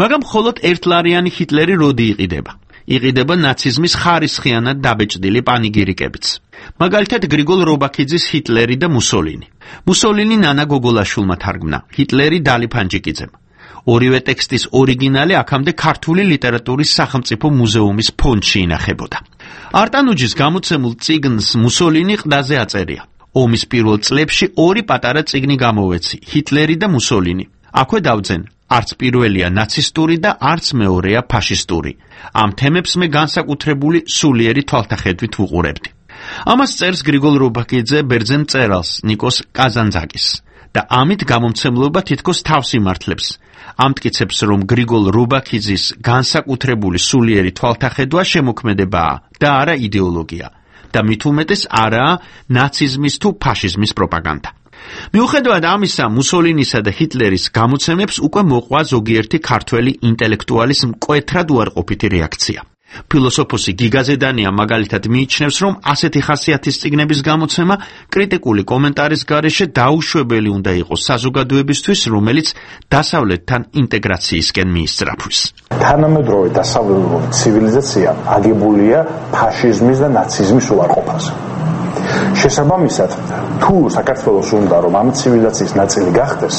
მაგრამ მხოლოდ ერთლარიანი ჰიტლერი როდი იყიდება? იყიდება ნაციზმის ხარისხიანად დაბეჭდილი პანიგირიკებიც. მაგალითად გრიგოლ რობაქიძის ჰიტლერი და მუსოლინი. მუსოლინი ნანა გოგოლაშვილმა თარგმნა, ჰიტლერი დალი ფანჯიკიძემ. ორივე ტექსტის ორიგინალი აქამდე ქართული ლიტერატურის სახელმწიფო მუზეუმის ფონდში ინახებოდა. არტანუჯის გამოცემულ წიგნს მუსოლინი ყდაზე აწერია. ომის პირველ წლებში ორი პატარა წიგნი გამოვეცი, ჰიტლერი და მუსოლინი. აქვე დავძენ, არც პირველია ნაცისტური და არც მეორეა ფაშისტური. ამ თემებს მე განსაკუთრებული სულიერი თვალთახედვით ვუყურებდი. ამას წერს გრიგოლ რობაქიძე ბერძენ მწერალს ნიკოს კაზანძაკის და ამით გამომცემლობა თითქოს თავს იმართლებს. ამტკიცებს, რომ გრიგოლ რობაქიძის განსაკუთრებული სულიერი თვალთახედვა შემოქმედებაა და არა იდეოლოგია და მით უმეტეს არაა ნაციზმის თუ ფაშიზმის პროპაგანდა. მიუხედავად ამისა, მუსოლინისა და ჰიტლერის გამოცემებს უკვე მოყვა ზოგიერთი ქართველი ინტელექტუალის მკვეთრად უარყოფითი რეაქცია. ფილოსოფოსი გიგა ზედანია მაგალითად მიიჩნევს, რომ ასეთი ხასიათის წიგნების გამოცემა კრიტიკული კომენტარის გარეშე დაუშვებელი უნდა იყოს საზოგადოებისთვის, რომელიც დასავლეთთან ინტეგრაციისკენ მიისწრაფვის. თანამედროვე დასავლური ცივილიზაცია აგებულია ფაშიზმის და ნაციზმის უარყოფაზე. შესაბამისად, თუ საქართველოს უნდა რომ ამ ცივილიზაციის ნაწილი გახდეს,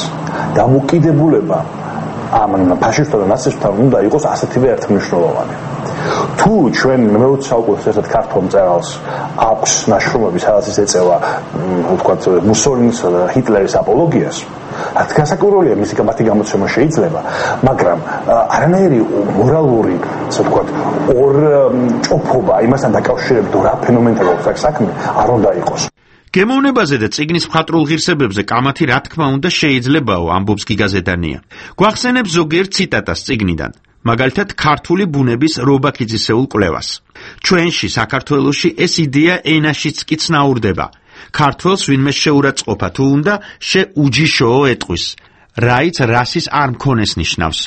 დამოკიდებულება ამ ფაშისტთა და ნაცისტთა უნდა იყოს ასეთივე ერთმნიშვნელოვანი. თუ ჩვენ მეოცე საუკუნის ერთ-ერთ ქართულ მწერალს აქვს ნაშრომები, სადაც ის ეწევა, ვთქვათ, მუსოლინისა და ჰიტლერის აპოლოგიას, რაც განსაკუთრებულია მისი მათი გამოცემა შეიძლება, მაგრამ არანაირი მორალური, ასე ვთქვათ, ორ ჭოფობა იმასთან დაკავშირებით, რა ფენომენთან აქვს საქმე, არ უნდა იყოს. გემოვნებაზე და წიგნის მხატვრულ ღირსებებზე კამათი რა თქმა უნდა შეიძლებაო, ამბობს გიგა ზედანია. გვახსენებს ზოგიერთ ციტატას წიგნიდან. მაგალითად ქართული ბუნების რობაქიძისეულ კვლევას. ჩვენში საქართველოში ეს იდეა ენაშიც კი ცნაურდება. ქართველს ვინმე შეურაცხყოფა თუ უნდა შეუჯიშოო ეტყვის. რაიც რასის არ მქონეს ნიშნავს.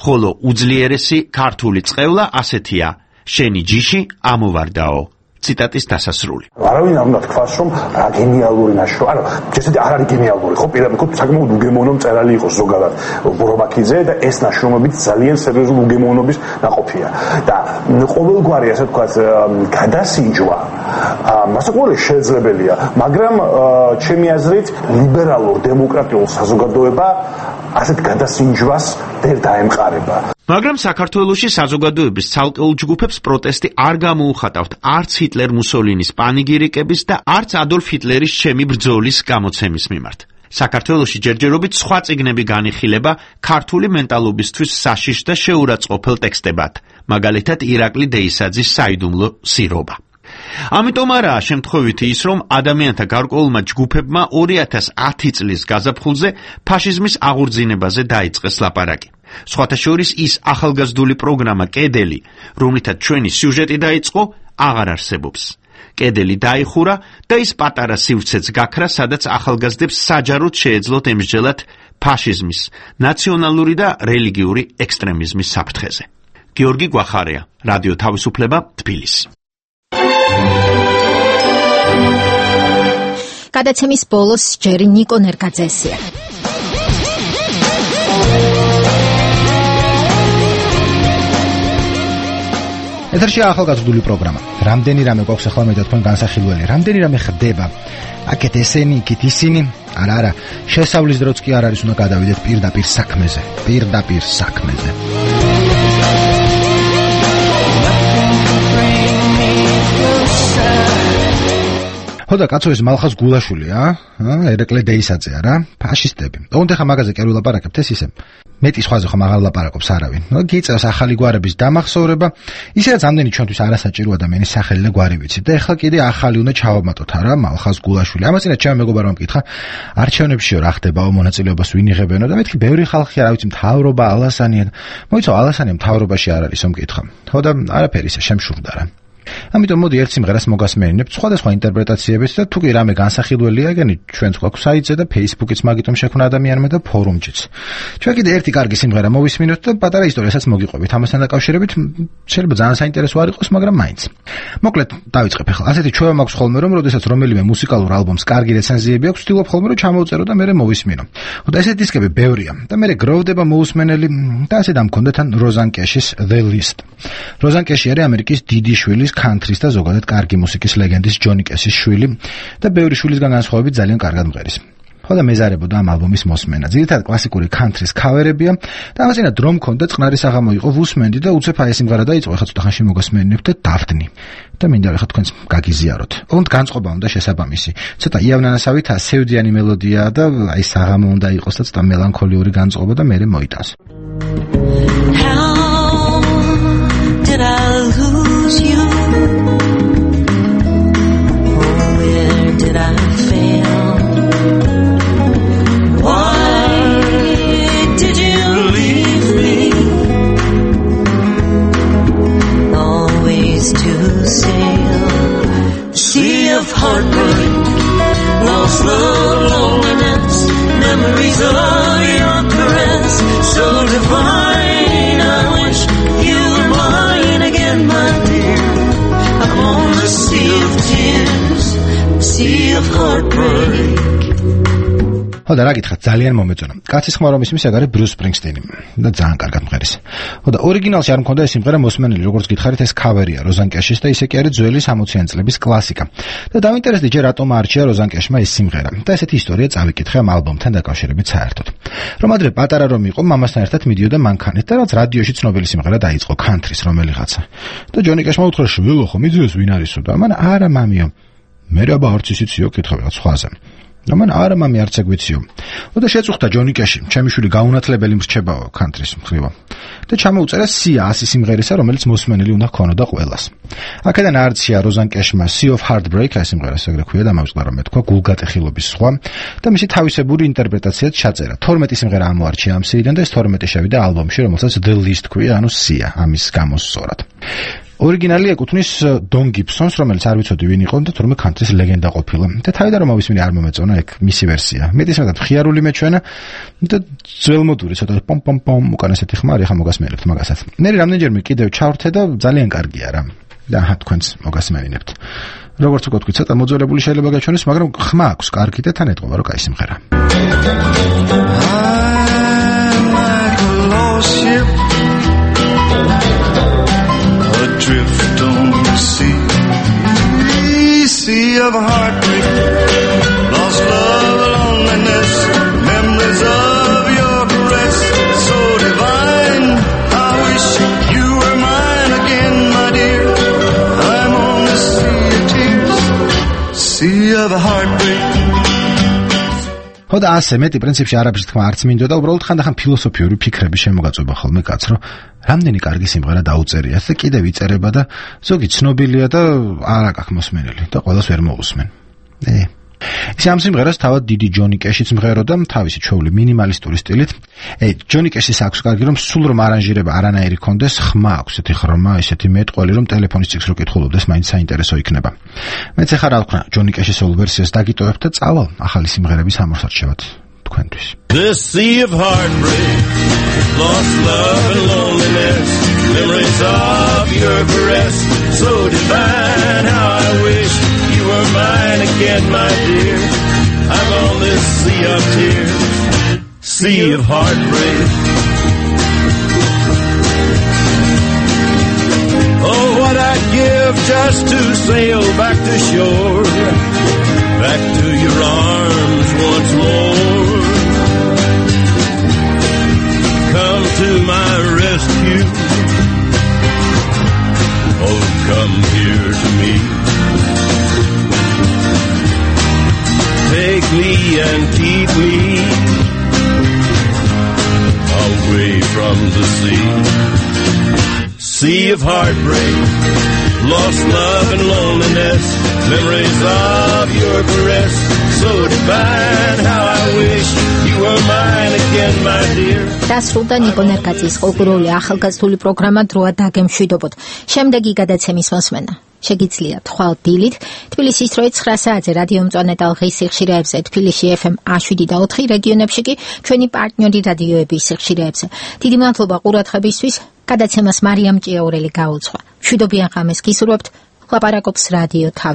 ხოლო უძლიერესი ქართული წყევლა ასეთია: შენი ჯიში ამოვარდაო. ციტატის დასასრული. არავინ არ უნდა თქვას, რომ რა გენიალური ნაშრომი, ანუ შესაძლოა არ არის გენიალური, ხო, პირდაპირ საკმაოდ უგემოვნო მწერალი იყოს ზოგადად რობაქიძე და ეს ნაშრომები ძალიან სერიოზული უგემოვნობის ნაყოფია. და ყოველგვარი, ასე ვთქვათ, გადასინჯვა მასაკურე შეძლებელია, მაგრამ ჩემი აზრით ლიბერალურ დემოკრატიულ საზოგადოება ასეთ გადასინჯვას ვერ დაემყარება. მაგრამ საქართველოში საზოგადოების ცალკეულ ჯგუფებს პროტესტი არ გამოუხატავთ არც ჰიტლერ მუსოლინის პანიგირიკების და არც ადოლფ ჰიტლერის ჩემი ბრძოლის გამოცემის მიმართ. საქართველოში ჯერჯერობით სხვა წიგნები განიხილება ქართული მენტალობისთვის საშიშ და შეურაცხყოფელ ტექსტებად, მაგალითად ირაკლი დეისაძის საიდუმლო სირობა. ამიტომ არაა შემთხვევითი ის, რომ ადამიანთა გარკვეულმა ჯგუფებმა ორი ათას ათი წლის გაზაფხულზე ფაშიზმის აღორძინებაზე დაიწყეს ლაპარაკი. სხვათა შორის ის ახალგაზრდული პროგრამა კედელი, რომლითაც ჩვენი სიუჟეტი დაიწყო, აღარ არსებობს. კედელი დაიხურა და ის პატარა სივრცეც გაქრა, სადაც ახალგაზრდებს საჯაროდ შეეძლოთ ემსჯელად ფაშიზმის, ნაციონალური და რელიგიური ექსტრემიზმის საფრთხეზე. გიორგი გვახარია, რადიო თავისუფლება, თბილისი. გადაცემის ბოლოს ჯერი ნიკო ნერგაძესია. ეთერში ახალგაზრდული პროგრამა. რამდენი რამე გვაქვს ახლა მე და თქვენ განსახილველი, რამდენი რამე ხდება. აკეთ ესენი, იქით ისინი. არა, არა, შესავლის დროც კი არ არის, უნდა გადავიდეთ პირდაპირ საქმეზე. პირდაპირ საქმეზე. ხოდა კაცო ეს მალხას გულაშვილია, ა? ერეკლე დეისაძე არა? ფაშისტები. ოღონდ ახლა მაგაზე კი არ ვილაპარაკებთ ეს ისე. მეტი სხვაზე ხომ აღარ ლაპარაკობს არავინ. ნუ გიწევს ახალი გვარების დამახსოვრება, ისედაც ამდენი ჩვენთვის არასაჭირო ადამიანის სახელი და გვარი ვიცით და ახლა კიდე ახალი უნდა ჩავამატოთ არა მალხას გულაშვილი. ამასინა ჩემ მეგობარმა მკითხა, არჩევნებშიო რა ხდებაო, მონაწილეობას ვინ იღებენო და მეთქი ბევრი ხალხი არა ვიცი მთავრობა ალასანია. მოიცო ალასანია მთავრობაში არ არისო მკითხა. ხოდა არაფერი ისე შემშურდა რა. ამიტომ მოდი ერთ სიმღერას მოგასმენინებთ სხვადასხვა ინტერპრეტაციებით და თუ კი რამე განსახილველია, ეგენი ჩვენც გვაქვს საიტზე და Facebook-იც მაგიტომ შექმნა ადამიანმა და ფორუმშიც. ჩვენ კიდე ერთი კარგი სიმღერა მოვისმინოთ და პატარა ისტორიასაც მოგიყვებით. ამასთან დაკავშირებით შეიძლება ძალიან საინტერესო არ იყოს, მაგრამ მაინც. მოკლედ დავიწყებ ახლა. ასეთი ჩვევა მაქვს ხოლმე, რომ როდესაც რომელიმე მუსიკალურ ალბომს კარგი რეცენზიები აქვს, ვთქვი ხოლმე რომ ჩამოვწერო და მე მოვისმინო. ხოდა ესეთი დისკები ბევრია და მე გროვდება მოусმენელი და ასე დამქონდა თან როზან კეშის The List. როზან კეში არის ამერიკის დიდი შვილის country-ის და ზოგადად კარგი მუსიკის ლეგენდის ჯონი კეშის შვილი და ბევრი შვილისგან განსხვავებით ძალიან კარგად მღერის. ხოდა მეზარებოდა ამ ალბომის მოსმენა. ძირითადად კლასიკური country-ის ქავერებია და ამასინად რომ მქონდა წყნარი საღამო იყო ვუსმენდი და უცებ აი ეს სიმღერა დაიწყო, ახლა ცოტა ხანში მოგასმენინებთ და დავდნი. და მინდა ახლა თქვენს გაგიზიაროთ. ოღონდ განწყობა უნდა შესაბამისი. ცოტა იავნანასავით ასევდიანი მელოდიაა და აი საღამო უნდა იყოს და ცოტა მელანქოლიური განწყობა და მერე მოიტანს. Did I lose you? Where did I fail? Why did you leave me? Always to sail the sea of heartbreak, lost love, loneliness, memories of your caress, so divine. I wish you were mine again, my dear. I'm on the sea of tears, sea of heartbreak. ხოდა რა გითხრათ, ძალიან მომეწონა. კაცის ხმა რომ ისმის ეგ არის ბრიუს სპრინგსტენი და ძალიან კარგად მღერის. ხოდა ორიგინალში არ მქონდა ეს სიმღერა მოსმენელი, როგორც გითხარით, ეს ქავერია როზან კეშის და ისე კი არის ძველი სამოციანი წლების კლასიკა. და დავინტერესდი ჯერ რატომ არჩია როზან კეშმა ეს სიმღერა. და ესეთი ისტორია წავიკითხე ამ ალბომთან დაკავშირებით საერთოდ. რომ ადრე პატარა რომ იყო, მამასთან ერთად მიდიოდა მანქანით და რაც რადიოში ცნობილი სიმღერა დაიწყო, country-ის რომელიღაცა. და ჯონი კეშმა უთხრა, შვილო ხო მიძიოს ვინ არისო და მან არა მამიო. მე რა ბარც ისიციო კითხავ რაღაც სხვაზე. და მან არა მამი არც ეგვიციო. და შეწუხდა ჯონი კეში, ჩემი შვილი გაუნათლებელი მრჩებაო country-ის მხრივ. და ჩამოუწერა სია ასი სიმღერისა, რომელიც მოსმენელი უნდა ჰქონოდა ყველას. აქედან არცია როზან კეშმა Sea of Heartbreak, ეს სიმღერა ეგრე ქვია და მოვიწყდა რომ მეთქვა გულგატეხილობის სხვა და მისი თავისებური ინტერპრეტაციაც ჩაწერა. თორმეტი სიმღერა ამოარჩია ამ სიიდან და ეს თორმეტი შევიდა ალბომში, რომელსაც The List ქვია, ანუ სია, ამის გამოსწორად. ორიგინალი ეკუთვნის დონ გიბსონს, რომელიც არ ვიცოდი ვინ იყო და თორმე country-ის ლეგენდა ყოფილა. და თავიდან რომ მოვისმინე არ მომეწონა ეგ მისი ვერსია. მეტისმეტად ხიარული მეჩვენა და ძველმოდური ცოტა პომ პომ პომ უკან ესეთი ხმა არის, ხა მოგასმენებთ მაგასაც. მე რამდენჯერმე კიდევ ჩავრთე და ძალიან კარგია რა. და ახლა თქვენს მოგასმენინებთ. როგორც უკვე თქვი, ცოტა მოძველებული შეიძლება გაჩვენოს, მაგრამ ხმა აქვს კარგი და თან ეტყობა რომ კაი სიმღერა. Drift on the sea, sea of heartbreak, lost love, loneliness, memories of your caress, so divine. I wish you were mine again, my dear. I'm on the sea of tears, sea of heartbreak. ხოდა ასე მეტი პრინციპში არაფერს თქმა არც მინდო და უბრალოდ ხანდახან ფილოსოფიური ფიქრები შემოგაწובה ხოლმე კაც, რომ რამდენი კარგი სიმღერა დაუწერია და კიდევ იწერება და ზოგი ცნობილია და არ აქვს მოსმენელი და ყველას ვერ მოусმენ. ე ისე ამ სიმღერას თავად დიდი ჯონი კეშიც მღეროდა თავისი ჩვეული მინიმალისტური სტილით. ჯონი კეშის აქვს კარგი რომ სულ რომ არანჟირება არანაირი კონდეს, ხმა აქვს ესეთი ხრმა, ესეთი მეტყველი რომ ტელეფონის წიგნს რო კითხულობდეს, მაინც საინტერესო იქნება. მეც ახლა რა ვქნა, ჯონი კეშის სოლო ვერსიას დაგიტოვებთ და წავალ ახალი სიმღერების ამოსარჩევად თქვენთვის. This sea of heartbreak, lost love and loneliness, memories of your caress, so divine, how I wish you were mine again, my dear. I'm on this sea of tears, sea of heartbreak. Oh, what I'd give just to sail back to shore, back to your arms once more. Come to my rescue. Oh, come here to me. Take me and keep me away from the sea. Sea of heartbreak, lost love and loneliness, memories of your caress, so divine, how I wish you were mine again, my dear. დასრულდა ნიკო ნერგაძის კულტურული ახალგაზრდული პროგრამა დროა დაგემშვიდობოთ. შემდეგი გადაცემის მოსმენა შეგიძლიათ ხვალ დილით თბილისის დროით ცხრა საათზე რადიო მწვანე ტალღის სიხშირეებზე, თბილისში ეფემ შვიდ და ოთხი, რეგიონებში კი ჩვენი პარტნიორი რადიოების სიხშირეებზე. დიდი მადლობა ყურადღებისთვის. გადაცემას მარიამ ჭიაურელი გაუძღვა. მშვიდობიან ღამეს გისურვებთ. ლაპარაკობს რადიო თავი.